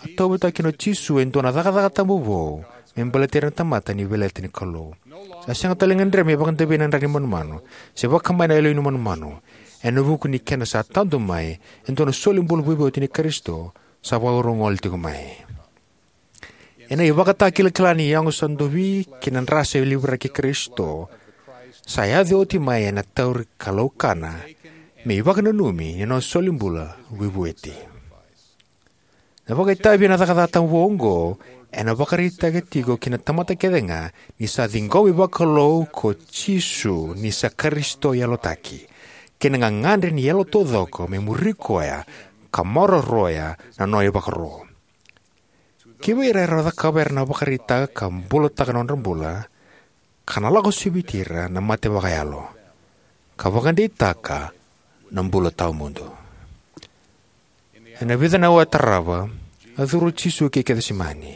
a tauyavutaka kina o Jisu e dua na cakacaka tabu vou me baleti ira na tamata ni veiyalayalati ni Kalou. Sa sega tale ni gadrevi me vakadavei na dra ni manumanu se vakabaya na yaloyalo ni manumanu, ena vuku ni kena sa tadu mai e dua na solibula veivueti ni Karisito sa vakarau gole tiko mai. Ena ivakatakilakila ni yago sa dovi kei na dra sa liviraki Karisito, sa yaco oti mai ena tauri kalaukana me ivakananumi ni nona solibula veivueti. Na vakaitavi ena cakacaka tabu vou oqo ena vakaraitaka tiko ki na tamata kece ga ni sa ciqomi vakalou ko Jisu ni sa Karisito yalotaki, kei na gagadre ni yalo taucoko me muri koya ka maroroya na nona ivakaro. Kivei ira era cakava, era na vakaraitaka ka bulataka na nodra bula, ka na lako siviti ira na mate vakayalo, ka vakadeitaka na bula tawamudu. Ena vica na aua e tarava, a curu o Jisu ki Kecisemani,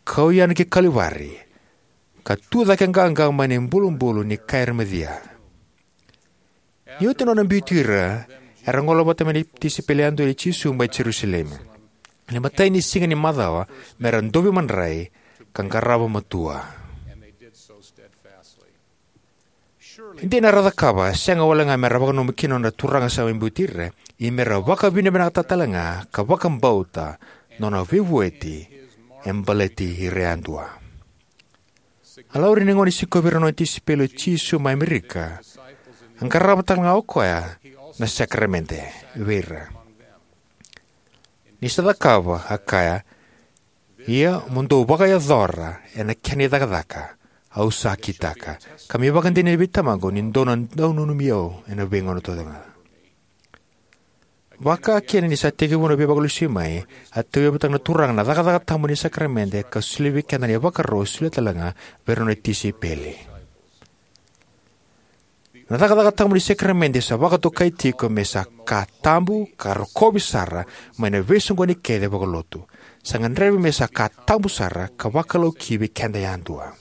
kau yani ki Kalivari, ka tu cake qaqa mai na ibulubulu ni kai remacia. Ni oti nona biuti ira, era gole vata mai na tisaipeli yadua nei Jisu mai Jerusalemi ena imatai ni siga ni macawa, me ra dovi madrai ka qarava matua. E dina era cakava, sega wale ga me ra vakananuma kina na Turaga sa mai biuti ira, ia me ra vakavinavinakataka tale ga ka vakabauta na nona veivueti e baleti ira yadua. A laurai ni gauna e sikovi ira na nona tisaipeli o Jisu mai Amerika, a qarava tale ga o koya na sakaramede vei ira. Ni sa cakava, a kaya, "Ia mo dou vakayacora ena kena icakacaka au sa kitaka, ka me ivakadinadina vei Tamaqu ni dou na dau nanumi au ena veigauna taucoko ga." Vakakina ni sa tekivu na veivakalesuimai, a tauyavutaka na Turaga na cakacaka tabu ni sakaramede ka solia vei keda na ivakaro e solia tale ga vei ira na nona tisaipeli. Na cakacaka tabu ni sakaramede sa vakatokai tiko me sa ka tabu ka rokovi sara mai na veisoqoni kece vakalotu. Sa gadrevi me sa ka tabu sara ka vakalou ki vei keda yadua.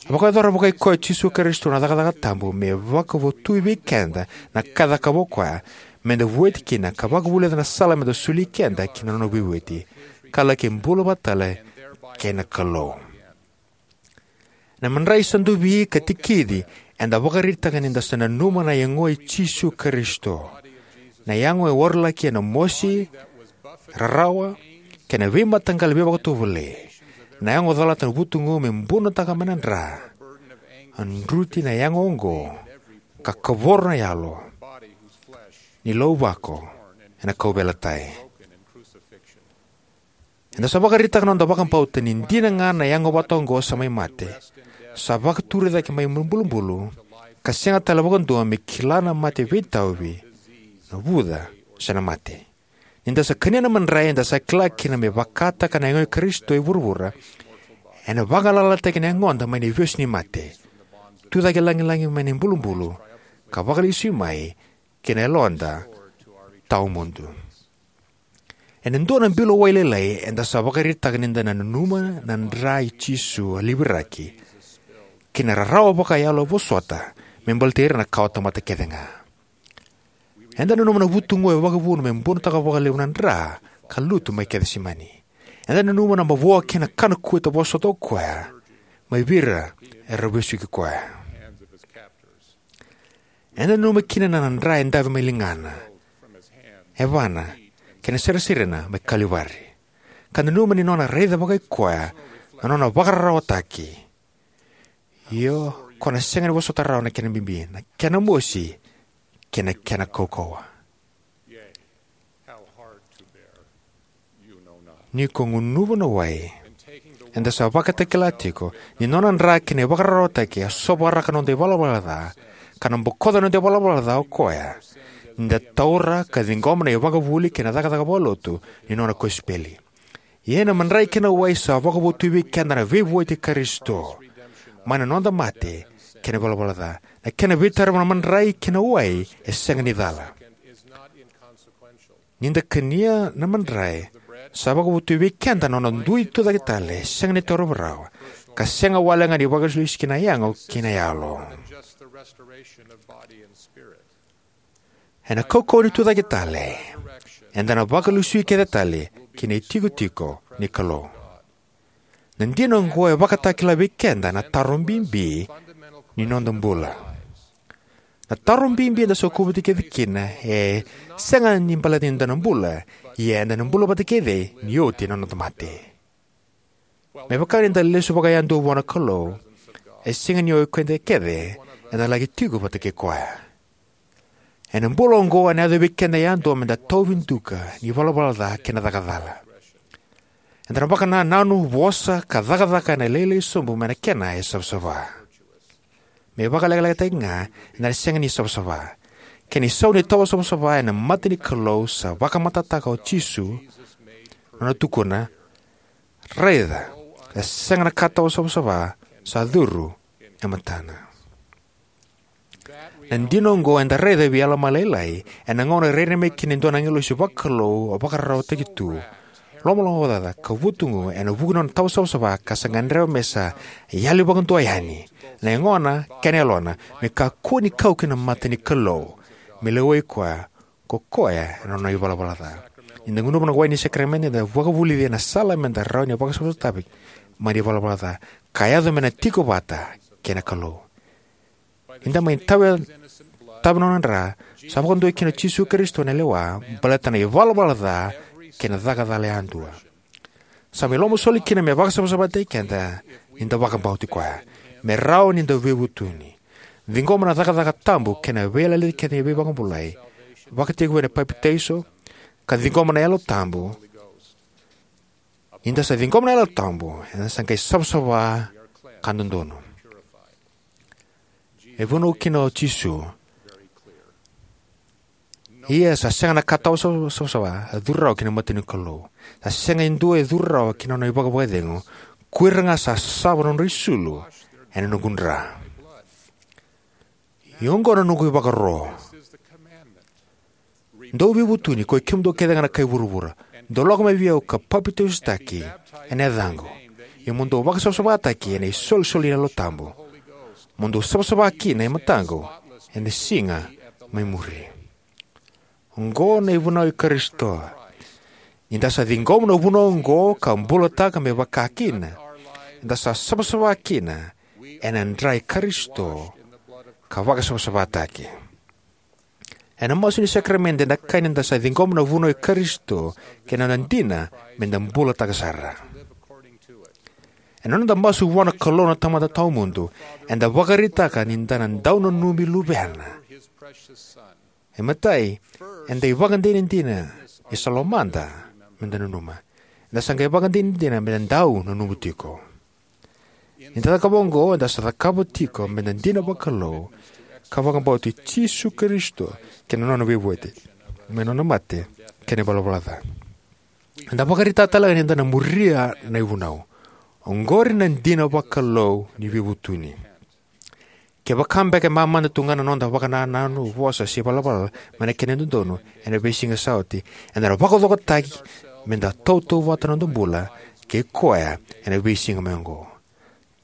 A vakayacora vakai koya o Jisu Karisito na cakacaka tabu me vakavotui vei keda na ka e cakava o koya, me da vueti kina ka vakavulica na sala me da soli keda ki na nona veivueti, ka laki bula vata tale kei na Kalou. Na madrai sa dovi ka tikici, eda vakaraitaka ni da sa nanuma na yago i Jisu Karisito. Na yago e warolaki ena mosi, rarawa, kei na veimataqali veivakatovolei. Na yago calata na vutugu me bunotaka mai na dra. A druti na yago oqo, ka kavoro na yalo ni lauvako ena kauveilatai. Eda sa vakaraitaka na noda vakabauta ni dina ga na yago vata oqo sa mai mate, sa vakaturi cake mai bulubulu, ka sega tale vakadua me kila na mate veitauvi, na vuca, se na mate. Ni da sa kania na madrai, eda sa kila kina me vakataka na yago i Karisito e vuravura, ena vagalalataki na yagoda mai na ivesu ni mate, tucake lagilagi mai na ibulubulu, ka vakalesui mai ki na yaloda tawamudu. Ena dua na bilo wai lailai, eda sa vakaraitaka ni da na nanuma na dra i Jisu a liviraki, kei na rarawa vakayalo a vosota me baleti ira na kawatamata kece ga. Eda nanuma na vutugu e vakavuna me bunotaka vakalevu na dra ka lutu mai Kecisemani. Eda nanuma na mavoa kei na kana kueta vosota o koya mai vei ira era vesuki koya. Eda nanuma kina na dra e dave mai ligana, yavana, kei na sarisarina mai Kalivari. Ka nanuma ni nona raica vakai koya na nona vakararawataki. Io, ko na sega ni vosota rawa na kena bibi, na kena mosi, kei na kena kaukauwa. Ni ko gunuva na wai, eda sa vakatakila tiko ni nona dra kei na ivakararawataki a sovaraka na noda ivalavala ca, ka na bokoca na noda ivalavala ca o koya, ni da taura ka ciqoma na ivakavuvuli kei na cakacaka vakalotu ni nona kosipeli. Ia na madrai kei na wai sa vakavotui vei keda na veivueti i Karisito mai na noda mate kei na ivalavala ca. Na kena veitarovi na madrai kei na wai e sega ni cala. Ni da kania na madrai, sa vakavotui vei keda na nona dui tucake tale, sega ni tarovi rawa, ka sega wale ga ni vakalesulesu ki na yago kei na yalo. Ena kaukauwa ni tucake tale, eda na vakalesui kece tale ki na itikotiko ni Kalou. Na dina oqo e vakatakila vei keda na taro bibi ni noda bula. Na taro bibi eda sa kuvati kece kina e sega ni baleta ni da na bula, ia eda na bula vata kece ni oti na noda mate. Me vaka ni da lesu vakayadua vua na Kalou, e sega ni o keda kece eda laki tiko vata kei koya. Ena bula oqo ena yaco vei keda yadua me da tauvi duka ni valavala ca kei na caka cala. Eda na vakanananu, vosa ka cakacaka ena lailai sobu mai na kena e savasava. Me vakalekalekataki ga, eda na sega ni savasava. Kena isau ni tawa savasava ena mata ni Kalou sa vakamatatataka o Jisu, nona tukuna, "Raica, e sega na ka tawa savasava sa curu e matana. Na dina oqo eda raica vei Alama Lailai ena gauna e rairai mai kina e dua na agilosi vakalou vakararawataki tu, lomalomacaca ka vutugu ena vuku ni nona tawasavasava, ka sa gadreva me sa yali vakadua yani na yagona kei na yalona me kakua ni kau ki na mata ni Kalou, me lewai koya ko koya ena nona ivalavala ca. Ni da gunuva na wai ni sakaramede, eda vakavulici ena sala me da rawa ni vakasavasavataki mai na ivalavala ca ka yaco me na tiko vata kei na Kalou. Ni da mai tawa, tawa na nona dra, sa vakadua kina o Jisu Karisito ena lewa baleta na ivalavala ca kei na caka cala yadua. Sa mai lomasoli kina me vakasavasavataki keda ni da vakabauti koya, me rawa ni da veivutuni, ciqoma na cakacaka tabu kei na veiyalayalati kece ni veivakabulai, vakatekivu ena papitaiso, ka ciqoma na Yalo Tabu. Ni da sa ciqoma na Yalo Tabu, eda sa qai savasava ka dodonu. E vunau kina o Jisu: Ia sa sega na ka tawasavasava e curu rawa ki na mata ni Kalou. Sa sega e dua e curu rawa ki na nona ivakavakacegu, ko ira ga sa sava na nodra isulu ena noqu dra. Ia oqo na noqu ivakaro: Dou veivutuni, koi kemudou kece ga na kai vuravura, dou lako mai vei au ka papitaisotaki ena yacaqu, ia mo dou vakasavasavataki ena isolisoli ni Yalo Tabu, mo dou savasava kina e mataqu ena siga mai muri. Oqo na ivunau i Karisito. Ni da sa ciqoma na vunau oqo ka bulataka me vaka kina, eda sa savasava kina ena dra i Karisito ka vakasavasavataki. Ena masu ni sakaramede, eda kaya ni da sa ciqoma na vunau i Karisito kei na nona dina me da bulataka sara. Ena noda masu vua na Kalou na Tamada Tawamudu, eda vakaraitaka ni da na dau nanumi Luvena. E matai, eda ivakadinadina ni sa lomada me da nanuma. Eda sa qai vakadinadina me da dau nanuma tiko. Ni da cakava oqo, eda sa cakava tiko me da dina vakalou ka vakabauti Jisu Karisito kei na nona veivueti mai na nona mate kei na ivalavala ca. Eda vakaraitaka talega ni da na muria na ivunau. Oqori na dina vakalou ni veivutuni. Kevaka beka e mamada tu ga na noda vakanananu, vosa, se ivalavala mai na kena dodonu ena veisiga sa oti, eda na vakacokotaki me da tautauvata na noda bula kei koya ena veisiga mai oqo.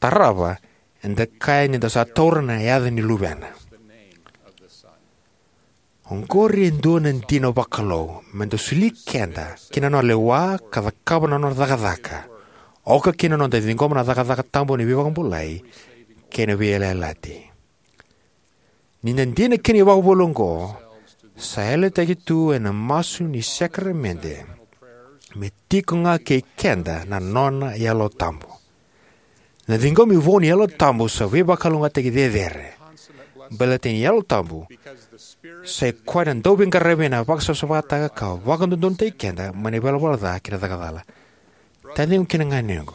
Tarava, eda kaya ni da sa taura na yaca ni Luvena. Oqori e dua na dina vakalou me da soli keda ki na nona lewa ka cakava na nona cakacaka, oka kina na noda ciqoma na cakacaka tabu ni veivakabulai kei na veiyalayalati. Ni da dina ki na ivakavuvuli oqo, sa yalataki tu ena masu ni sakaramede me tiko ga kei keda na nona Yalo Tabu. Na ciqomi vou ni Yalo Tabu sa veivakalougatataki cecere, baleta ni Yalo Tabu sa i koya na dauveiqaravi ena vakasavasavataka ka vakadodonutaki keda mai na ivalavala ca kei na caka cala. Taciqu kei na ganequ,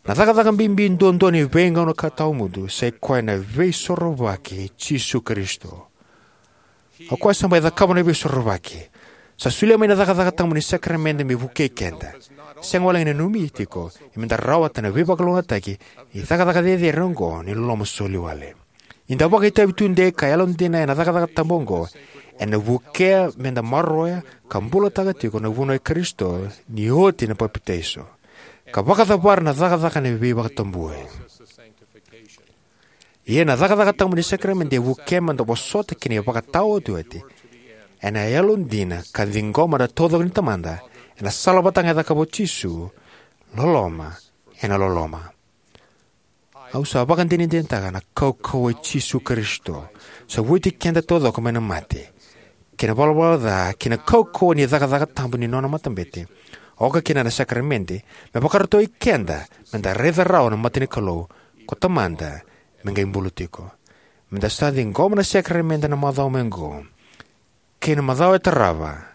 na cakacaka bibi duadua ni veigauna ka tawamudu sa i koya na Veisorovaki i Jisu Karisito. O koya sa mai cakava na Veisorovaki. Sa solia mai na cakacaka tabu ni sakaramede me vukei keda, sega wale ga ni nanumi tiko, ia me da rawata na veivakalougatataki ni cakacaka cecere oqo ni loloma soli wale. Ni da vakaitavi tudei ka yalodina ena cakacaka tabu oqo, ena vukea me da maroroya ka bulataka tiko na vunau i Karisito ni oti na papitaiso, ka vakacavara na cakacaka ni veivakatabui. Ia na cakacaka tabu ni sakaramede e vukea me da vosota ki na ivakataotioti ena yalodina ka ciqoma na taucoko ni Tamada ena sala vata ga e cakava o Jisu, loloma ena loloma. Au sa vakadinadinataka na kaukauwa i Jisu Karisito, sa vueti keda taucoko mai na mate, kei na valavala ca, kei na kaukauwa ni cakacaka tabu ni nona matabete, oka kina na sakaramede, me vakarautaki keda me da raica rawa na mata ni Kalou ko Tamada me qai bula tiko. Me da sa ciqoma na sakaramede na macawa mai oqo kei na macawa e tarava,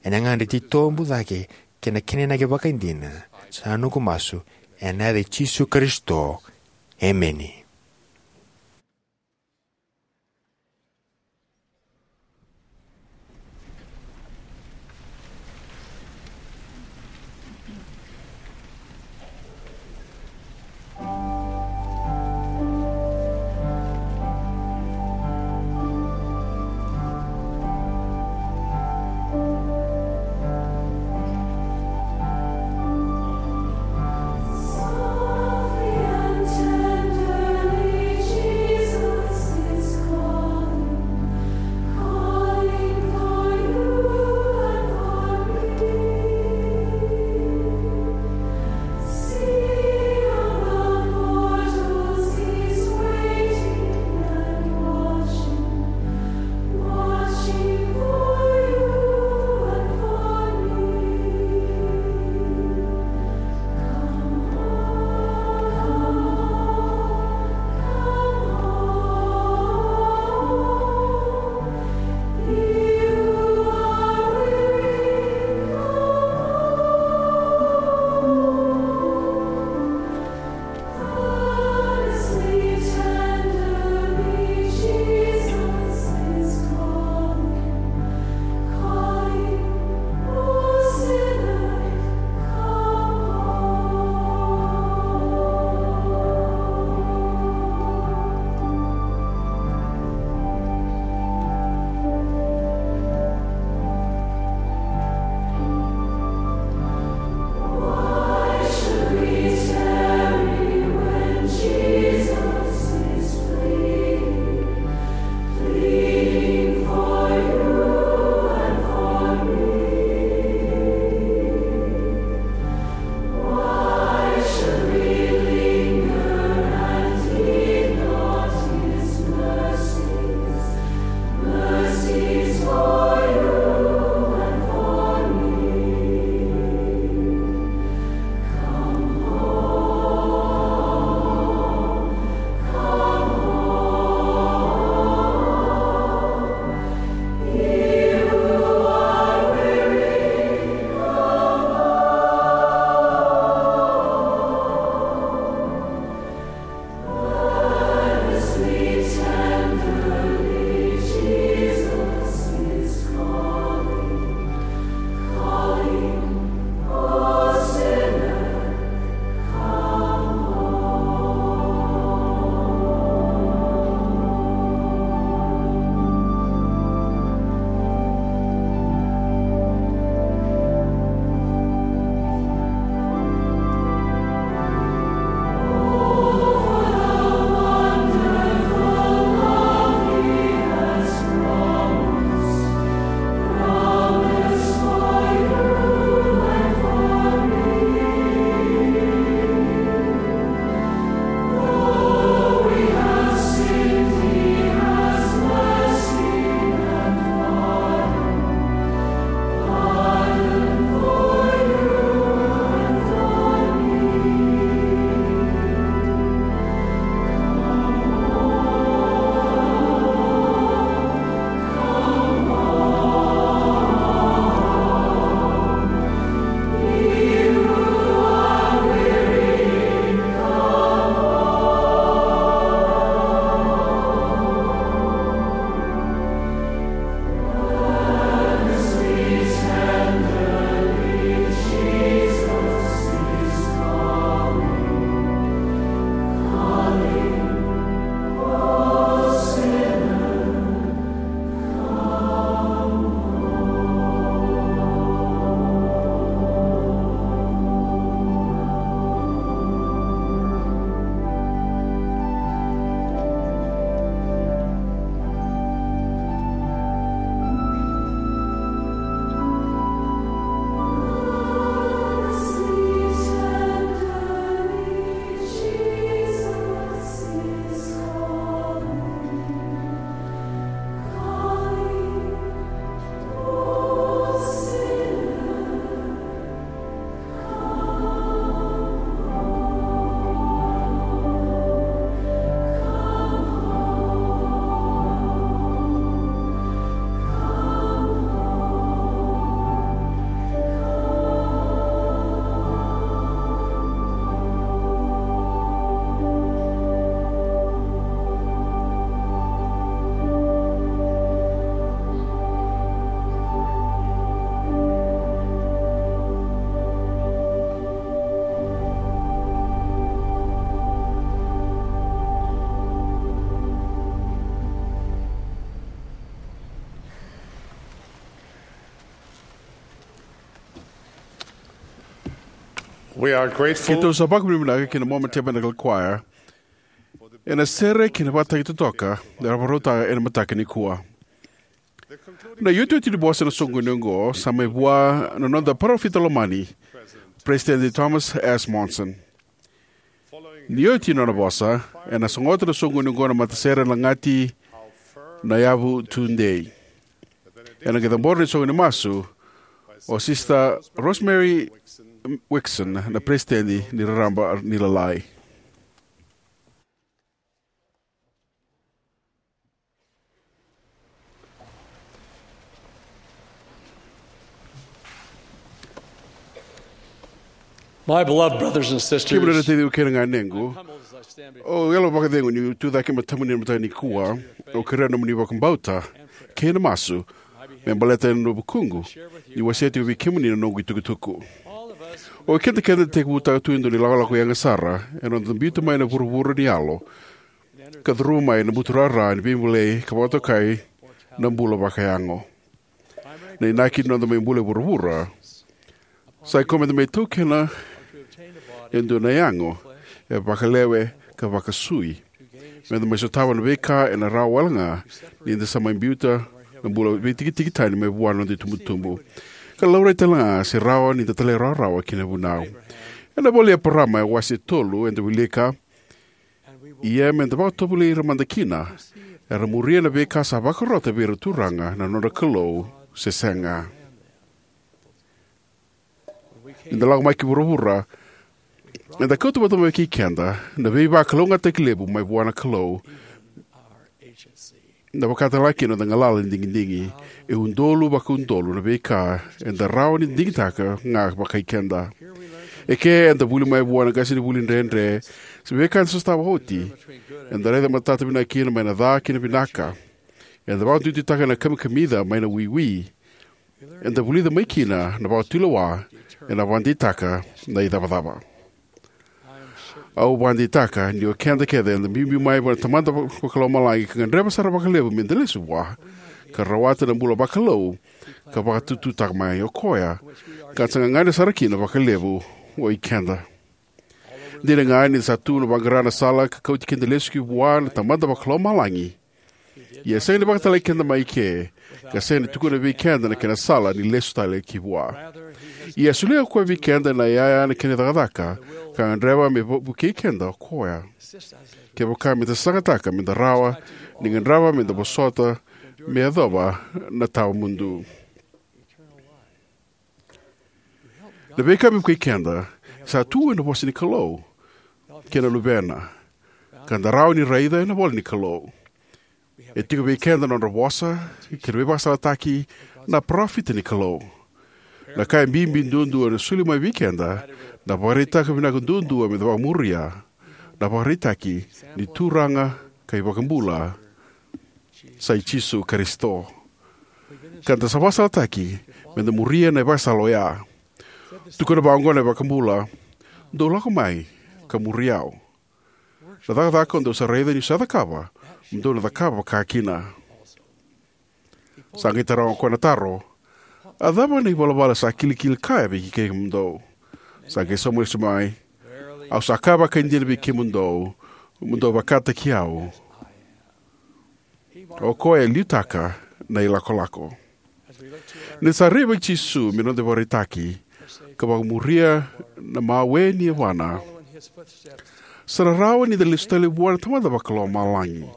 ena gauna e titobu cake kei na kena inaki vakaidina, sa noqu masu ena yaca i Jisu Karisito. Emeni. We are grateful. Keitou sa vakavinavinaka ki na Mormon Tabernacle Choir ena sere kei na vakataki totoka era vakarautaka ena mataka nikua. Na iotioti ni vosa ena soqoni oqo sa mai vua na noda parofita lomani, President Thomas S. Monson. Ni oti na nona vosa, ena sogota na soqoni oqo na matasere lagati, Na Yavu Tudei. Ena qai cabora na isoqo ni masu o Sister Rosemary Wixon, na Peresitedi ni Raraba ni Lalai. My beloved brothers and sisters, kemuni na taciqu kei na ganequ, au yalo vakacegu niu tu cake e matamuni ena mataka nikua. Au kerea nomuni vakabauta kei na masu me baleta ena vukuqu niu wasea tiko vei kemuni na noqu itukutuku. O keda kece da tekivutaka tu e dua na ilakolako yaga sara ena noda biuta mai na vuravura ni yalo ka curuma mai na buturara ni veibolei ka vakatokai na bula vakayago. Na inaki ni noda mai bula e vuravura sa ikoya meda mai taukena e dua na yago e vakalewe ka vakasui, meda mai sotava na veika ena rawa wale ga ni da sa mai biuta na bula veitikitiki tani mai vua na noda itubutubu, ka laurai tale ga se rawa ni da talairawarawa ki na vunau. Ena ivola i Eparama, e wase tolu, eda wilika: Ia meda vakatovolei ira mada kina, era muria na veika sa vakarota vei ira na Turaga na nodra Kalou, se sega. Ni da lako mai ki vuravura, eda kauta vata mai kei keda na veivakalougatataki levu mai vua na Kalou, na vakatalega kina noda galala ni digidigi. E udolu vakaudolu na veika eda rawa ni digitaka ga vakai keda. Eke eda vuli mai vua na qasenivuli dredre se veika eda sotava oti. Eda raica matata vinaka kina mai na ca ki na vinaka. Eda vakaduiduitaka na kamikamica mai na wiwi. Eda vulica mai kina na vakatulewa ena vakadeitaka na icavacava. Au vakadeitaka ni o keda kece eda biubiu mai vua na Tamada Vakalomalagi ka gadreva sara vakalevu meda lesu vua ka rawata na bula vakalou ka vakatututaka mai o koya, ka da sa gagadre sara kina vakalevu o ikeda. Dina ga ni da sa tu vaqara na sala ka kauti keda lesu ki vua na Tamada Vakalomalagi, ia e sega ni vakatalai keda mai ke, ka sega ni tukuna vei keda na kena sala ni lesu tale ki vua. Ia e solia o koya vei keda na iyaya na kena cakacaka, ka gadreva me vo-, vukei keda o koya. Kevaka meda sasagataka meda rawa ni gadreva meda vosota me yacova na tawa mudu. Na veika me vukei keda sa tu ena vosa ni Kalou kei na Luvena, ka da rawa ni raica ena ivola ni Kalou. E tiko vei keda na nodra vosa kei na veivakasalataki na parofita ni Kalou. Na ka e bibi duadua ena soli mai vei keda na ivakaraitaki vinaka duadua meda vakamuria, na ivakaraitaki ni Turaga ka iVakabula sa i Jisu Karisito. Ka da sa vakasalataki meda muria na ivakasala oya. Tukuna vaqo na iVakabula: Dou lako mai ka muri au. Na cakacaka o dou sa raica niu sa cakava, mo dou na cakava vaka kina. Sa qai taroga o koya na taro: A cava na ivalavala sa kilikili kaya vei kemudou? Sa qai sauma lesu mai: Au sa kaya vakaidina vei kemudou, mo dou vakataki au. O koya e liutaka na ilakolako. Ni sa rai vei Jisu me noda ivakaraitaki ka vakamuria na mawe ni yavana, sa na rawa ni da lesu tale vua na Tamada Vakalomalagi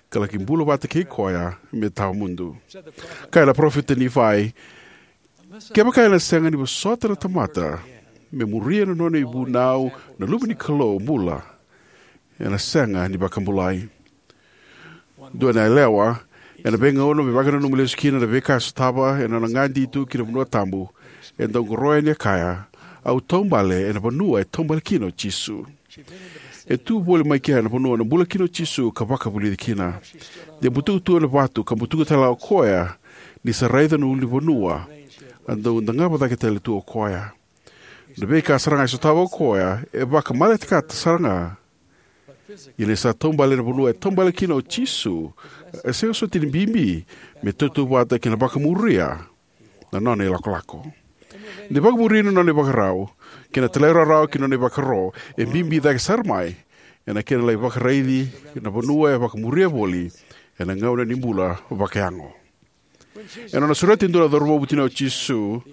ka laki bula vata kei koya me tawa mudu. Kaya na parofita Nifai, kevaka ena sega ni vosota na tamata me muria na nona ivunau na Luve ni Kalou bula, ena sega ni vakabulai. Dua na yalewa, ena veigauna me vakananuma lesu kina na veika e sotava ena nona gadi tu ki na vanua tabu, e dau qoroya ni a kaya: Au taubale ena vanua e taubale kina o Jisu. E tu voli mai kea na vanua na bula kina o Jisu ka vakavulici kina. De butuka tu ena vatu ka butuka tale ga o koya ni sa raica na ulunivanua, a dau dagava cake tale tu o koya. Na veika sara ga e sotava o koya e vakamaletekata sara ga. Ia ni sa taubale ena vanua e taubale kina o Jisu, e sega soti ni bibi me tautauvata kei na vakamuria na nona ilakolako. Na ivakavuvuli ni nona ivakarau kei na talairawarawa ki na nona ivakaro e bibi cake sara mai ena kena lai vakaraici na vanua e vakamuria voli ena gauna ni bula vakayago. Ena nona sureta e dua na cauravou vutuniyau o Jisu,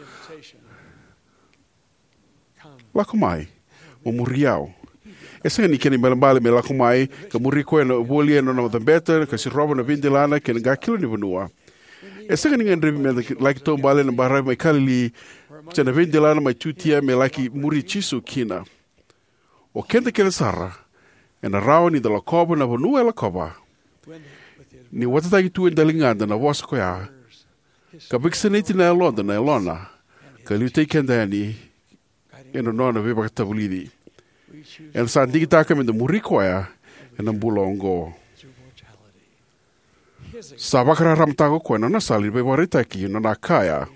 "Lako mai, mo muri au." E sega ni kena ibalebale me lako mai ka muri koya na voli ena nona cabeta ka sirova na veidelana kei na qakilo ni vanua. E sega ni gadrevi me da laki taubale ena baravi mai Kalili se na veidelana mai Jutia me laki muri Jisu kina. O keda kece sara ena rawa ni da lakova na vanua e lakova ni watataki tu e daligada na vosa ko ya, ka vakasinaiti na yaloda na yalona, ka liutaki keda yani ena nona veivakavulici. Eda sa digitaka me da muri koya ena bula oqo. Sa vakararamataka o koya na nona sala ni veivakaraitaki, na nona kaya,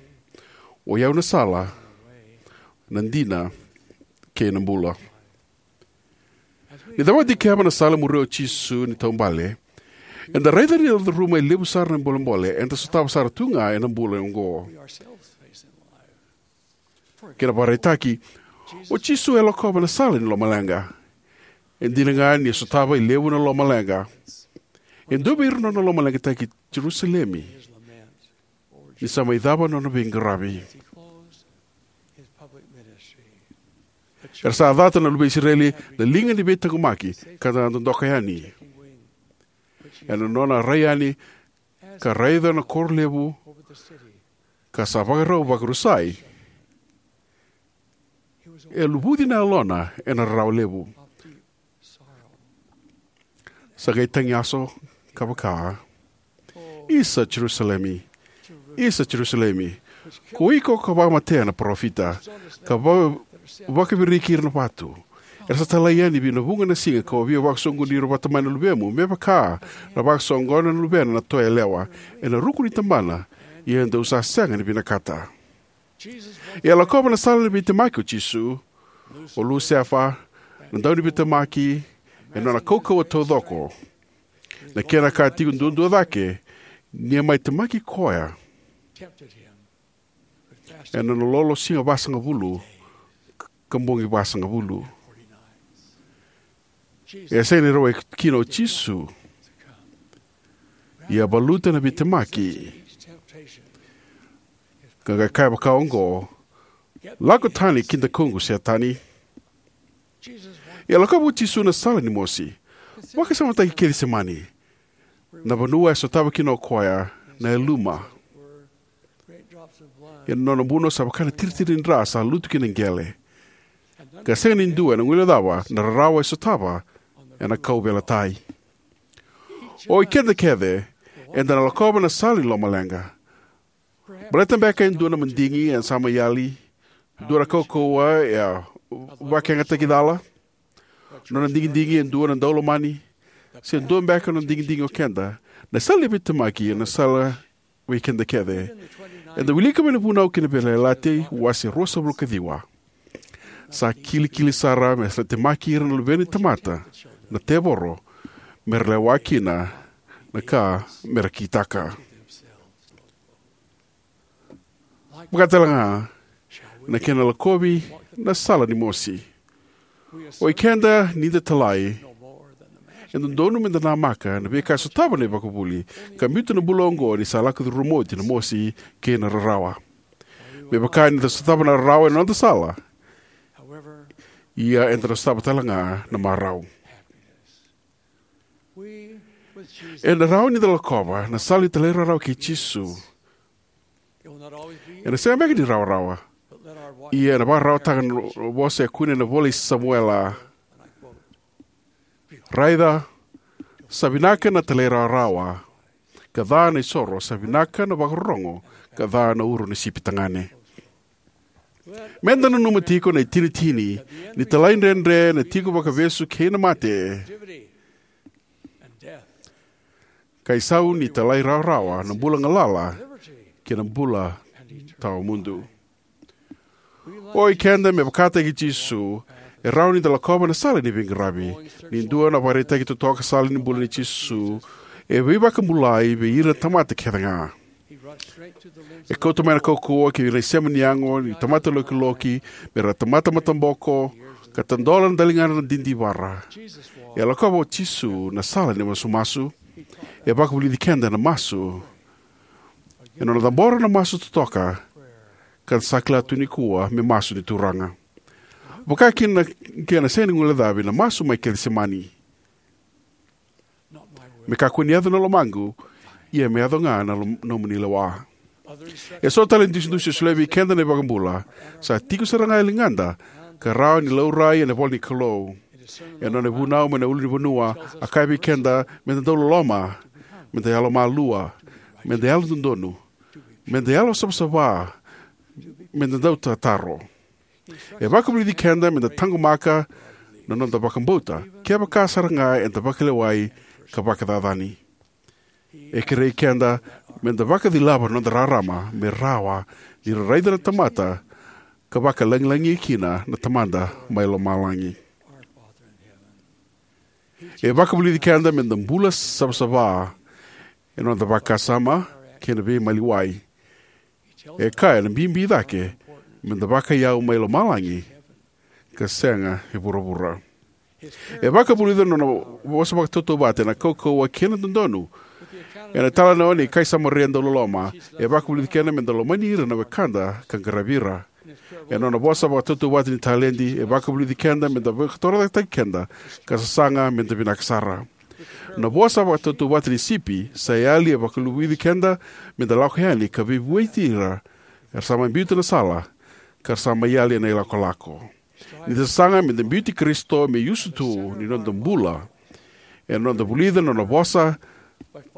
"O i au na sala, na dina, kei na bula." Ni da vakadikeva na sala e muria o Jisu ni taubale, eda raica ni da curuma e levu sara na bolebole eda sotava sara tu ga ena bula oqo. Kena vakaraitaki, o Jisu e lakova na sala ni lomaleqa. E dina ga ni sotava e levu na lomaleqa, e dua vei ira na nona lomaleqataki Jerusalemi ni sa mai cava na nona veiqaravi. Era sa cata na luve i Isireli na liga ni veitaqomaki ka da dodoka yani. Ena nona rai yani ka raica na koro levu ka sa vakarau vakarusai, e luvuci na yalona ena rarawa levu. Sa qai tagiyaso ka vaka, "Isa Jerusalemi, isa Jerusalemi, ko iko ka vakamatea na parofita, ka va- vakaviriki ira na vatu. Era sa talai yani vei na vuqa na siga kau a via vakasoqoni ira vata mai na luvemu, me vaka na vakasoqona na luvena na toa yalewa ena ruku ni tabana, ia dou sa sega ni vinakata." E a lakova na sala ni veitemaki o Jisu. O Lusefa, na dauniveitemaki, ena nona kaukauwa taucoko, na kena ka tiko duadua cake ni a mai temaki koya ena nona lolo siga vasagavulu ka bogi vasagavulu. E sega ni rawai kina o Jisu, ia valuta na veitemaki, ka qai kaya vaka oqo, "Lako tani ki dakuqu, Setani." E a lakova o Jisu na sala ni mosi. Vakasamataki Kecisemani, na vanua e sotava kina o koya na yaluma. Ia na nona buno sa vaka na tiritiri ni dra sa lutu ki na qele, ka sega ni dua ena guilecava na rarawa e sotava ena kauveilatai. O i keda kece eda na lakova na sala ni lomaleqa. Baleta beka e dua na madigi e sa mai yali, dua na kaukauwa e a vakayagataki cala, nona digidigi e dua na daulomani, se dua beka na digidigi o keda. Na sala ni veitemaki ena sala vei keda kece. Eda wilika mai na Vunau kei na Veiyalayalati, wase ruasagavulu ka ciwa. Sa kilikili sara me sa temaki ira na luve ni tamata na tevoro, me ra lewa kina na ka me ra kitaka. Vakatale ga na kena lakovi na sala ni mosi. O i keda ni da talai, e dodonu me da namaka na veika e sotava na ivakavuvuli, ka biuta na bula oqo ni sa lako curuma oti na mosi kei na rarawa. Me vaka ni da sotava na rarawa ena noda sala, ia eda na sotava tale ga na marau. Ena rawa ni da lakova na sala ni talairawarawa kei Jisu. Ena sega beka ni rawarawa, ia ena vakararawataka na vosa e kune ena ivola i Samuela: "Raica, sa vinaka na talairawarawa, ka ca na isoro, sa vinaka na vakarorogo, ka ca na uro ni sipi tagane." Me da nanuma tiko na itinitini ni talaidredre na tiko vakavesu kei na mate, ka isau ni talairawarawa na bula galala kei na bula tawamudu. O i keda, me vakataki Jisu, e rawa ni da lakova na sala ni veiqaravi, ni dua na ivakaraitaki totoka sala ni bula nei Jisu, e veivakabulai vei ira na tamata kece ga. E kauta mai na kaukauwa ki na isema ni yago ni tamata lokiloki, me ra tamata mataboko, ka tadola na daligadra na didivara. E lakova o Jisu na sala ni masumasu. E vakavulici keda na masu. E nona cabora na masu totoka, ka sa kila tu nikua me masu ni Turaga. Vaka kina na kena sega ni guilecavi na masu mai Kecisemani. Me kakua ni yaco na lomaqu, ia me yaco ga na lom- nomuni lewa. E so tale na dusidusi e solia vei keda na iVakabula, sa tiko sara ga e ligada, ka rawa ni laurai ena ivola ni Kalou. E nona ivunau mai na ulunivanua, a kaya vei keda me da dau loloma, me da yalomalua, me da yalododonu, me da yalosavasava, me da dau tataro. E vakavulici keda me da taqomaka na noda vakabauta, kevaka sara ga eda vakalewai ka vakacacani. E kerei keda me da vakacilava na noda rarama me rawa ni ra raica na tamata, ka vakalagilagi kina na Tamada mai lomalagi. E vakavulici keda me da bula savasava ena noda vakasama kei na veimaliwai. E kaya na bibi cake me da vakaiyau mai lomalagi ka sega e vuravura. E vakavulica na nona vosa vakatautauvata ena kaukauwa kei na dodonu. Ena italanoa ni kai Samaria dau loloma, e vakavulici keda me da lomani ira na wekada ka qaravi ira. Ena nona vosa vakatautauvata ni taledi, e vakavulici keda me da vakatorocaketaki keda ka sasaga me da vinaka sara. Na vosa vakatautauvata ni sipi sa yali e vakavulici keda me da lako yani ka veivueti ira era sa mai biuta na sala, ka ra sa mai yali ena ilakolako. Ni da sasaga me da biuti Karisito me iusutu ni noda bula, ena noda vulica na nona vosa,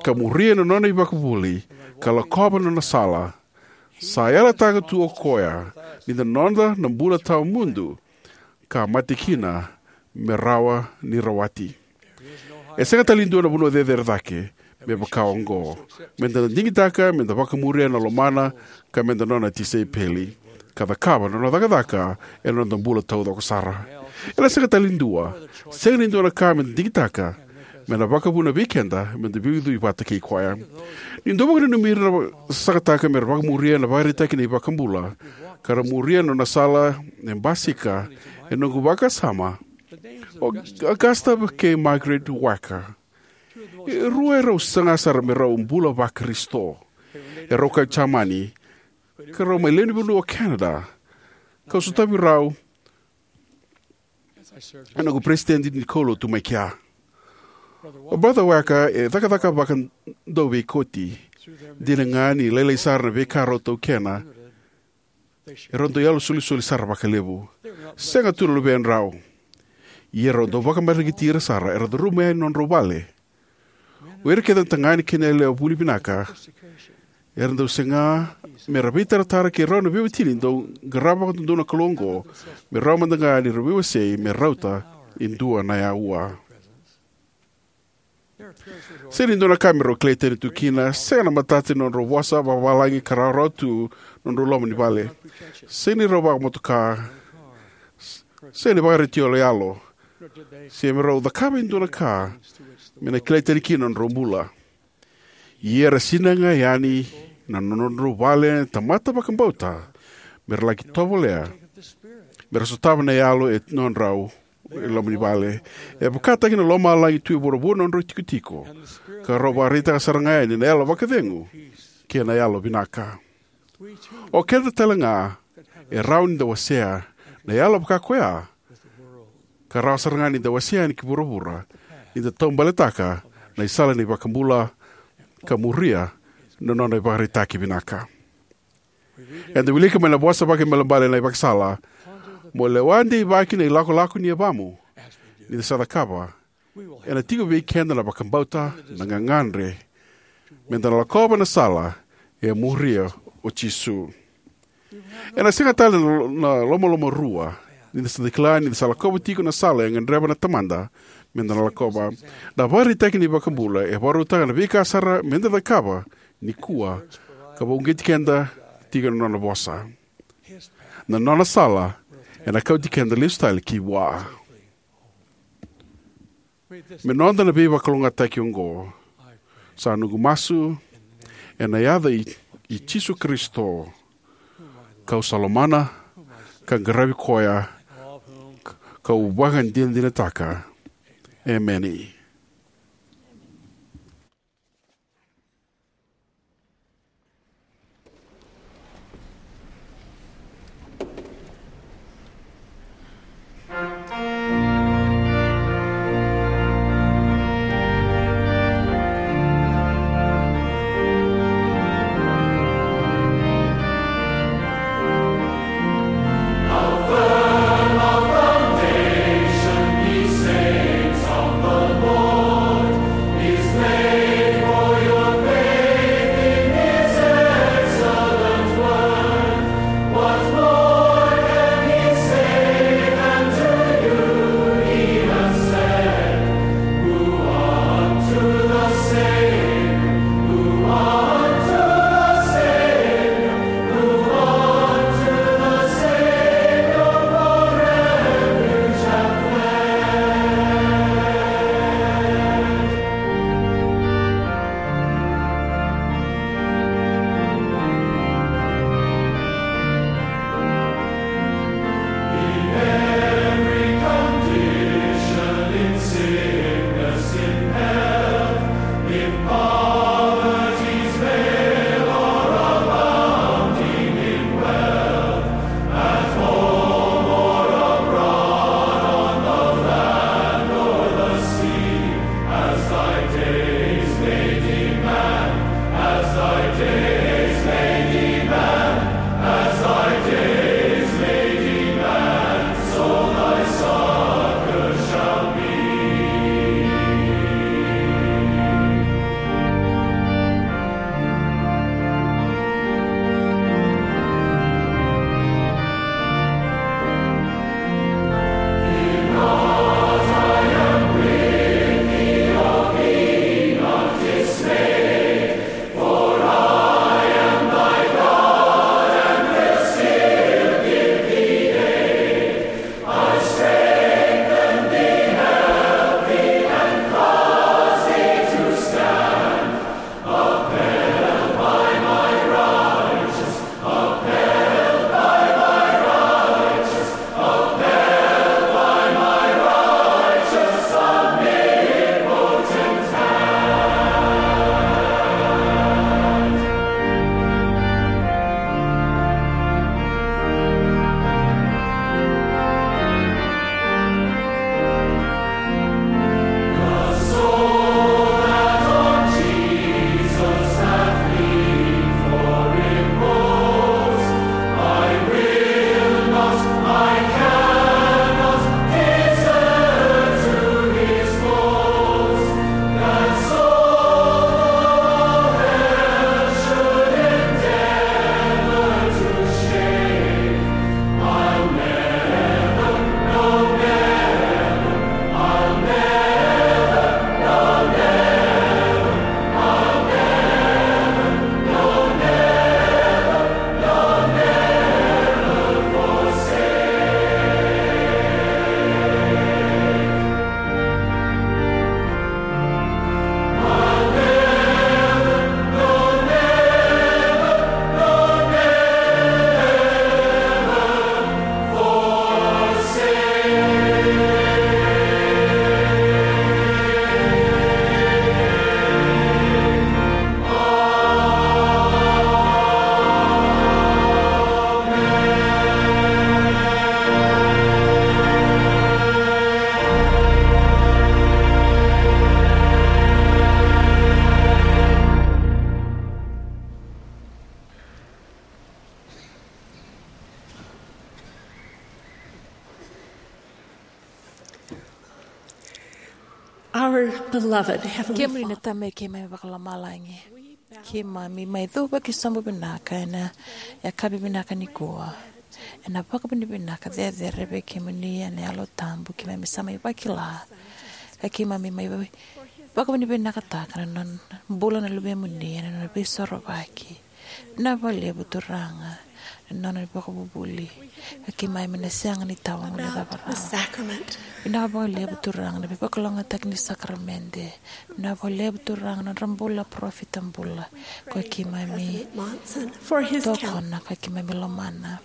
ka muria na nona ivakavuvuli, ka lakova na nona sala, sa yalataka tu o koya ni da noda na bula tawamudu, ka mate kina me rawa ni rawati. E sega tale ni dua na vanua cecere cake me vaka oqo, me da na digitaka me da vakamuria na lomana, ka me da nona tisaipeli, ka cakava na nona cakacaka ena noda bula taucoko sara. Ena sega tale ni dua, sega ni dua na ka me da digitaka me na vakavuna vei keda me da veiucui vata kei koya. Ni dau vakananumi ira na sasagataka me ra vakamuria na ivakaraitaki ni iVakabula, ka ra muria na nona sala e basika ena noqu vakasama, o Augusta kei Margaret Wacker. E rua e rau saga sara me rau bula vaKarisito. E rau kai Jamani, ka rau mai lewe ni vanua o Canada. Kau sotavi rau ena noqu peresitedi ni kaulotu mai kea. O Brother Wacker e cakacaka vakadauveikoti. Dina ga ni lailai sara na veika rau taukena, e rau dau yalosolisoli sara vakalevu. Sega tu na luvedrau. Ia rau dau vakamareqeti ira sara era curuma yani na nodrau vale. O ira kece na tagane kei na yalewa vuli vinaka era dau saga me ra veitaratara kei rau na veiwatini dau qarava vakadodonu na Kalou oqo, me rawa mada ga ni ra veiwasei me rauta e dua na aua. Sega ni dua na ka me rau kilai tani tu kina, sega na matata ni nodrau vosa vakavalagi ka rawarawa tu na nodrau loma ni vale. Sega ni rau vakamotoka, sega ni vakaretio yaloyalo, se me rau cakava e dua na ka me na kilai tani kina na nodrau bula. Ia era sinai ga yani na nodrau vale na tamata vakabauta me ra laki tovolea me ra sotava na yalo e nodrau e loma ni vale. E vakataki na lomalagi tu e vuravura na nodrau itikotiko, ka rau vakaraitaka sara ga yani na yalo vakacegu kei na yalo vinaka. O keda tale ga e rawa ni da wasea na yalo vaka koya, ka rawa sara ga ni da wasea yani ki vuravura, ni da taubaletaka na isala ni iVakabula ka muria na nona ivakaraitaki vinaka. Eda wilika mai na vosa vakaibalebale na ivakasala: Mo lewa deivaki na ilakolako ni yavamu. Ni da sa cakava, ena tiko vei keda na vakabauta, na gagadre me da na lakova na sala e muria o Jisu. Ena sega tale na, na lomalomarua ni da sa kila ni da sa lakova tiko na sala e gadreva na Tamada me da na lakova. Na ivakaraitaki ni iVakabula e vakarautaka na veika sara me da cakava nikua, ka vakauqeti keda tiko na nona vosa. Na nona sala ena kauti keda lesu tale ki vua. Me noda na veivakalougatataki oqo, sa noqu masu ena yaca i i Jisu Karisito, kau sa lomana, ka qaravi koya, kau vakadinadinataka. Emeni. Our beloved Heavenly Kemuni na Father. Tamai keimami vakalomalagi. Keimami mai cuva ki sobu vinaka ena yakavi vinaka nikua. Ena vakavinavinaka cecere vei kemuni ena Yalo Tabu keimami sa mai vakila. Ka keimami mai vakavinavinakataka na nona bula na luvemuni ena nona veisorovaki. Vinaka vakalevu Turaga. na nona ivakavuvuli, ka keimami na sega ni tawa na gone cava rawa. Vinaka vakalevu Turaga na veivakalougatataki ni sakaramede. Vinaka vakalevu Turaga na nodra bula parofita bula, ko keimami tokona ka keimami lomana.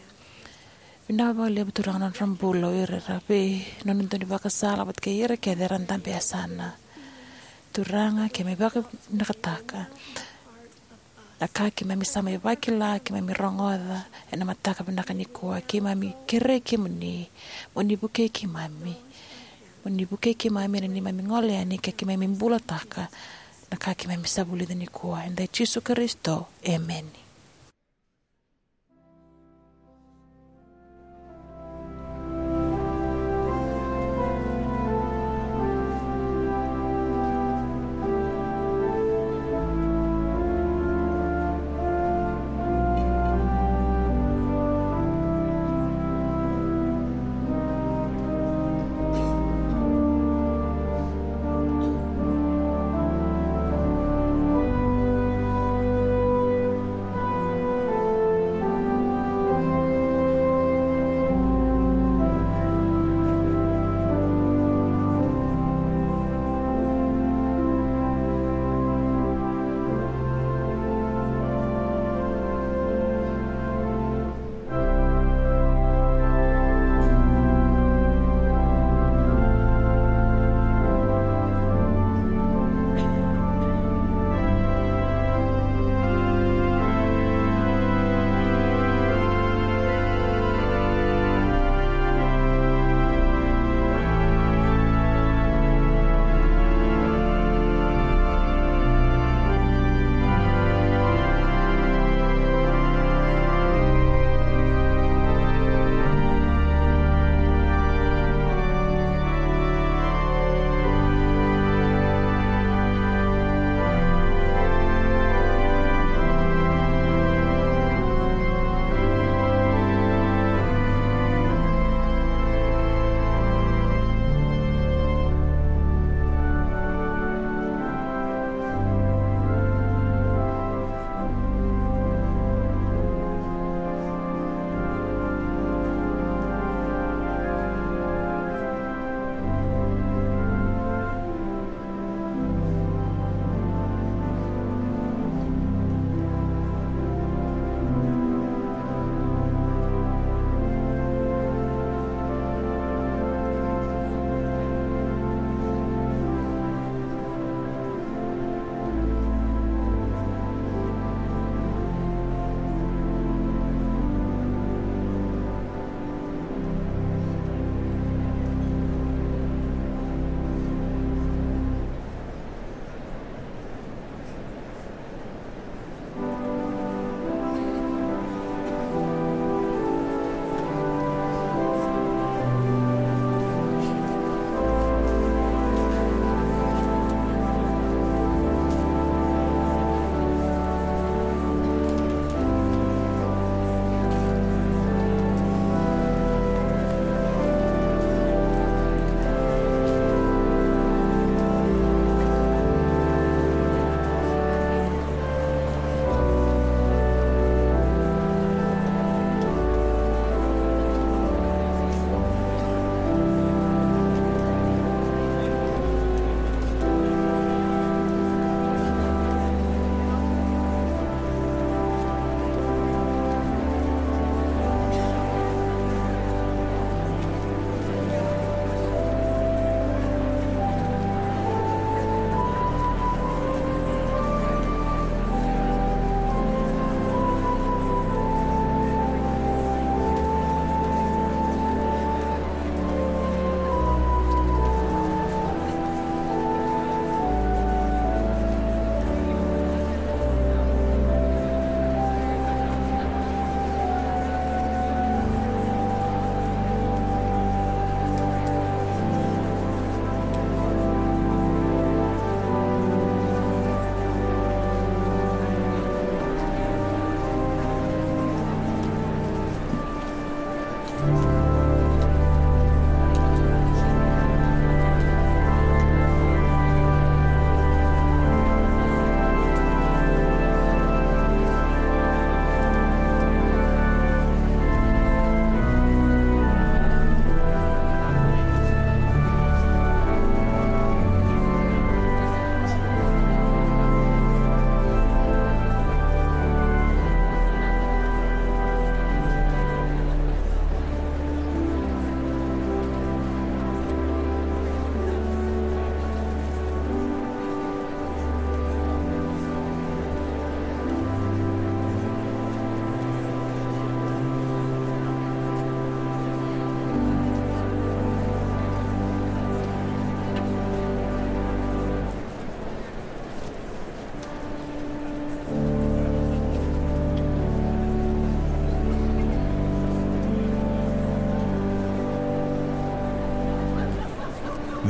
Vinaka vakalevu Turaga na nodra bula o ira era vei nona dau ni vakasala vata kei ira kece era dabe yasana. Turaga, keimami vakavinakataka na ka keimami sa mai vakila, keimami rogoca ena mataka vinaka nikua. Keimami kerei kemuni mo ni vukei keimami, mo ni vukei keimami ena neimami gole yani ka keimami bulataka na ka keimami sa vulica nikua. Eda i Jisu Karisito, emeni.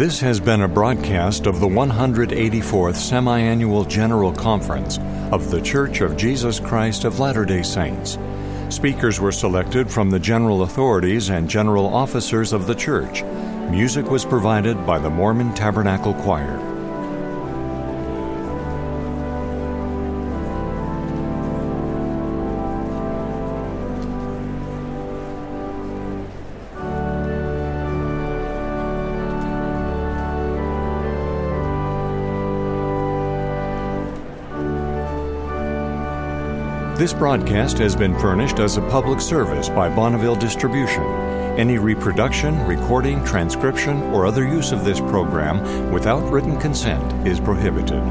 This has been a broadcast of the one hundred eighty-fourth Semi-Annual General Conference of The Church of Jesus Christ of Latter-day Saints. Speakers were selected from the general authorities and general officers of the church. Music was provided by the Mormon Tabernacle Choir. This broadcast has been furnished as a public service by Bonneville Distribution. Any reproduction, recording, transcription, or other use of this program without written consent is prohibited.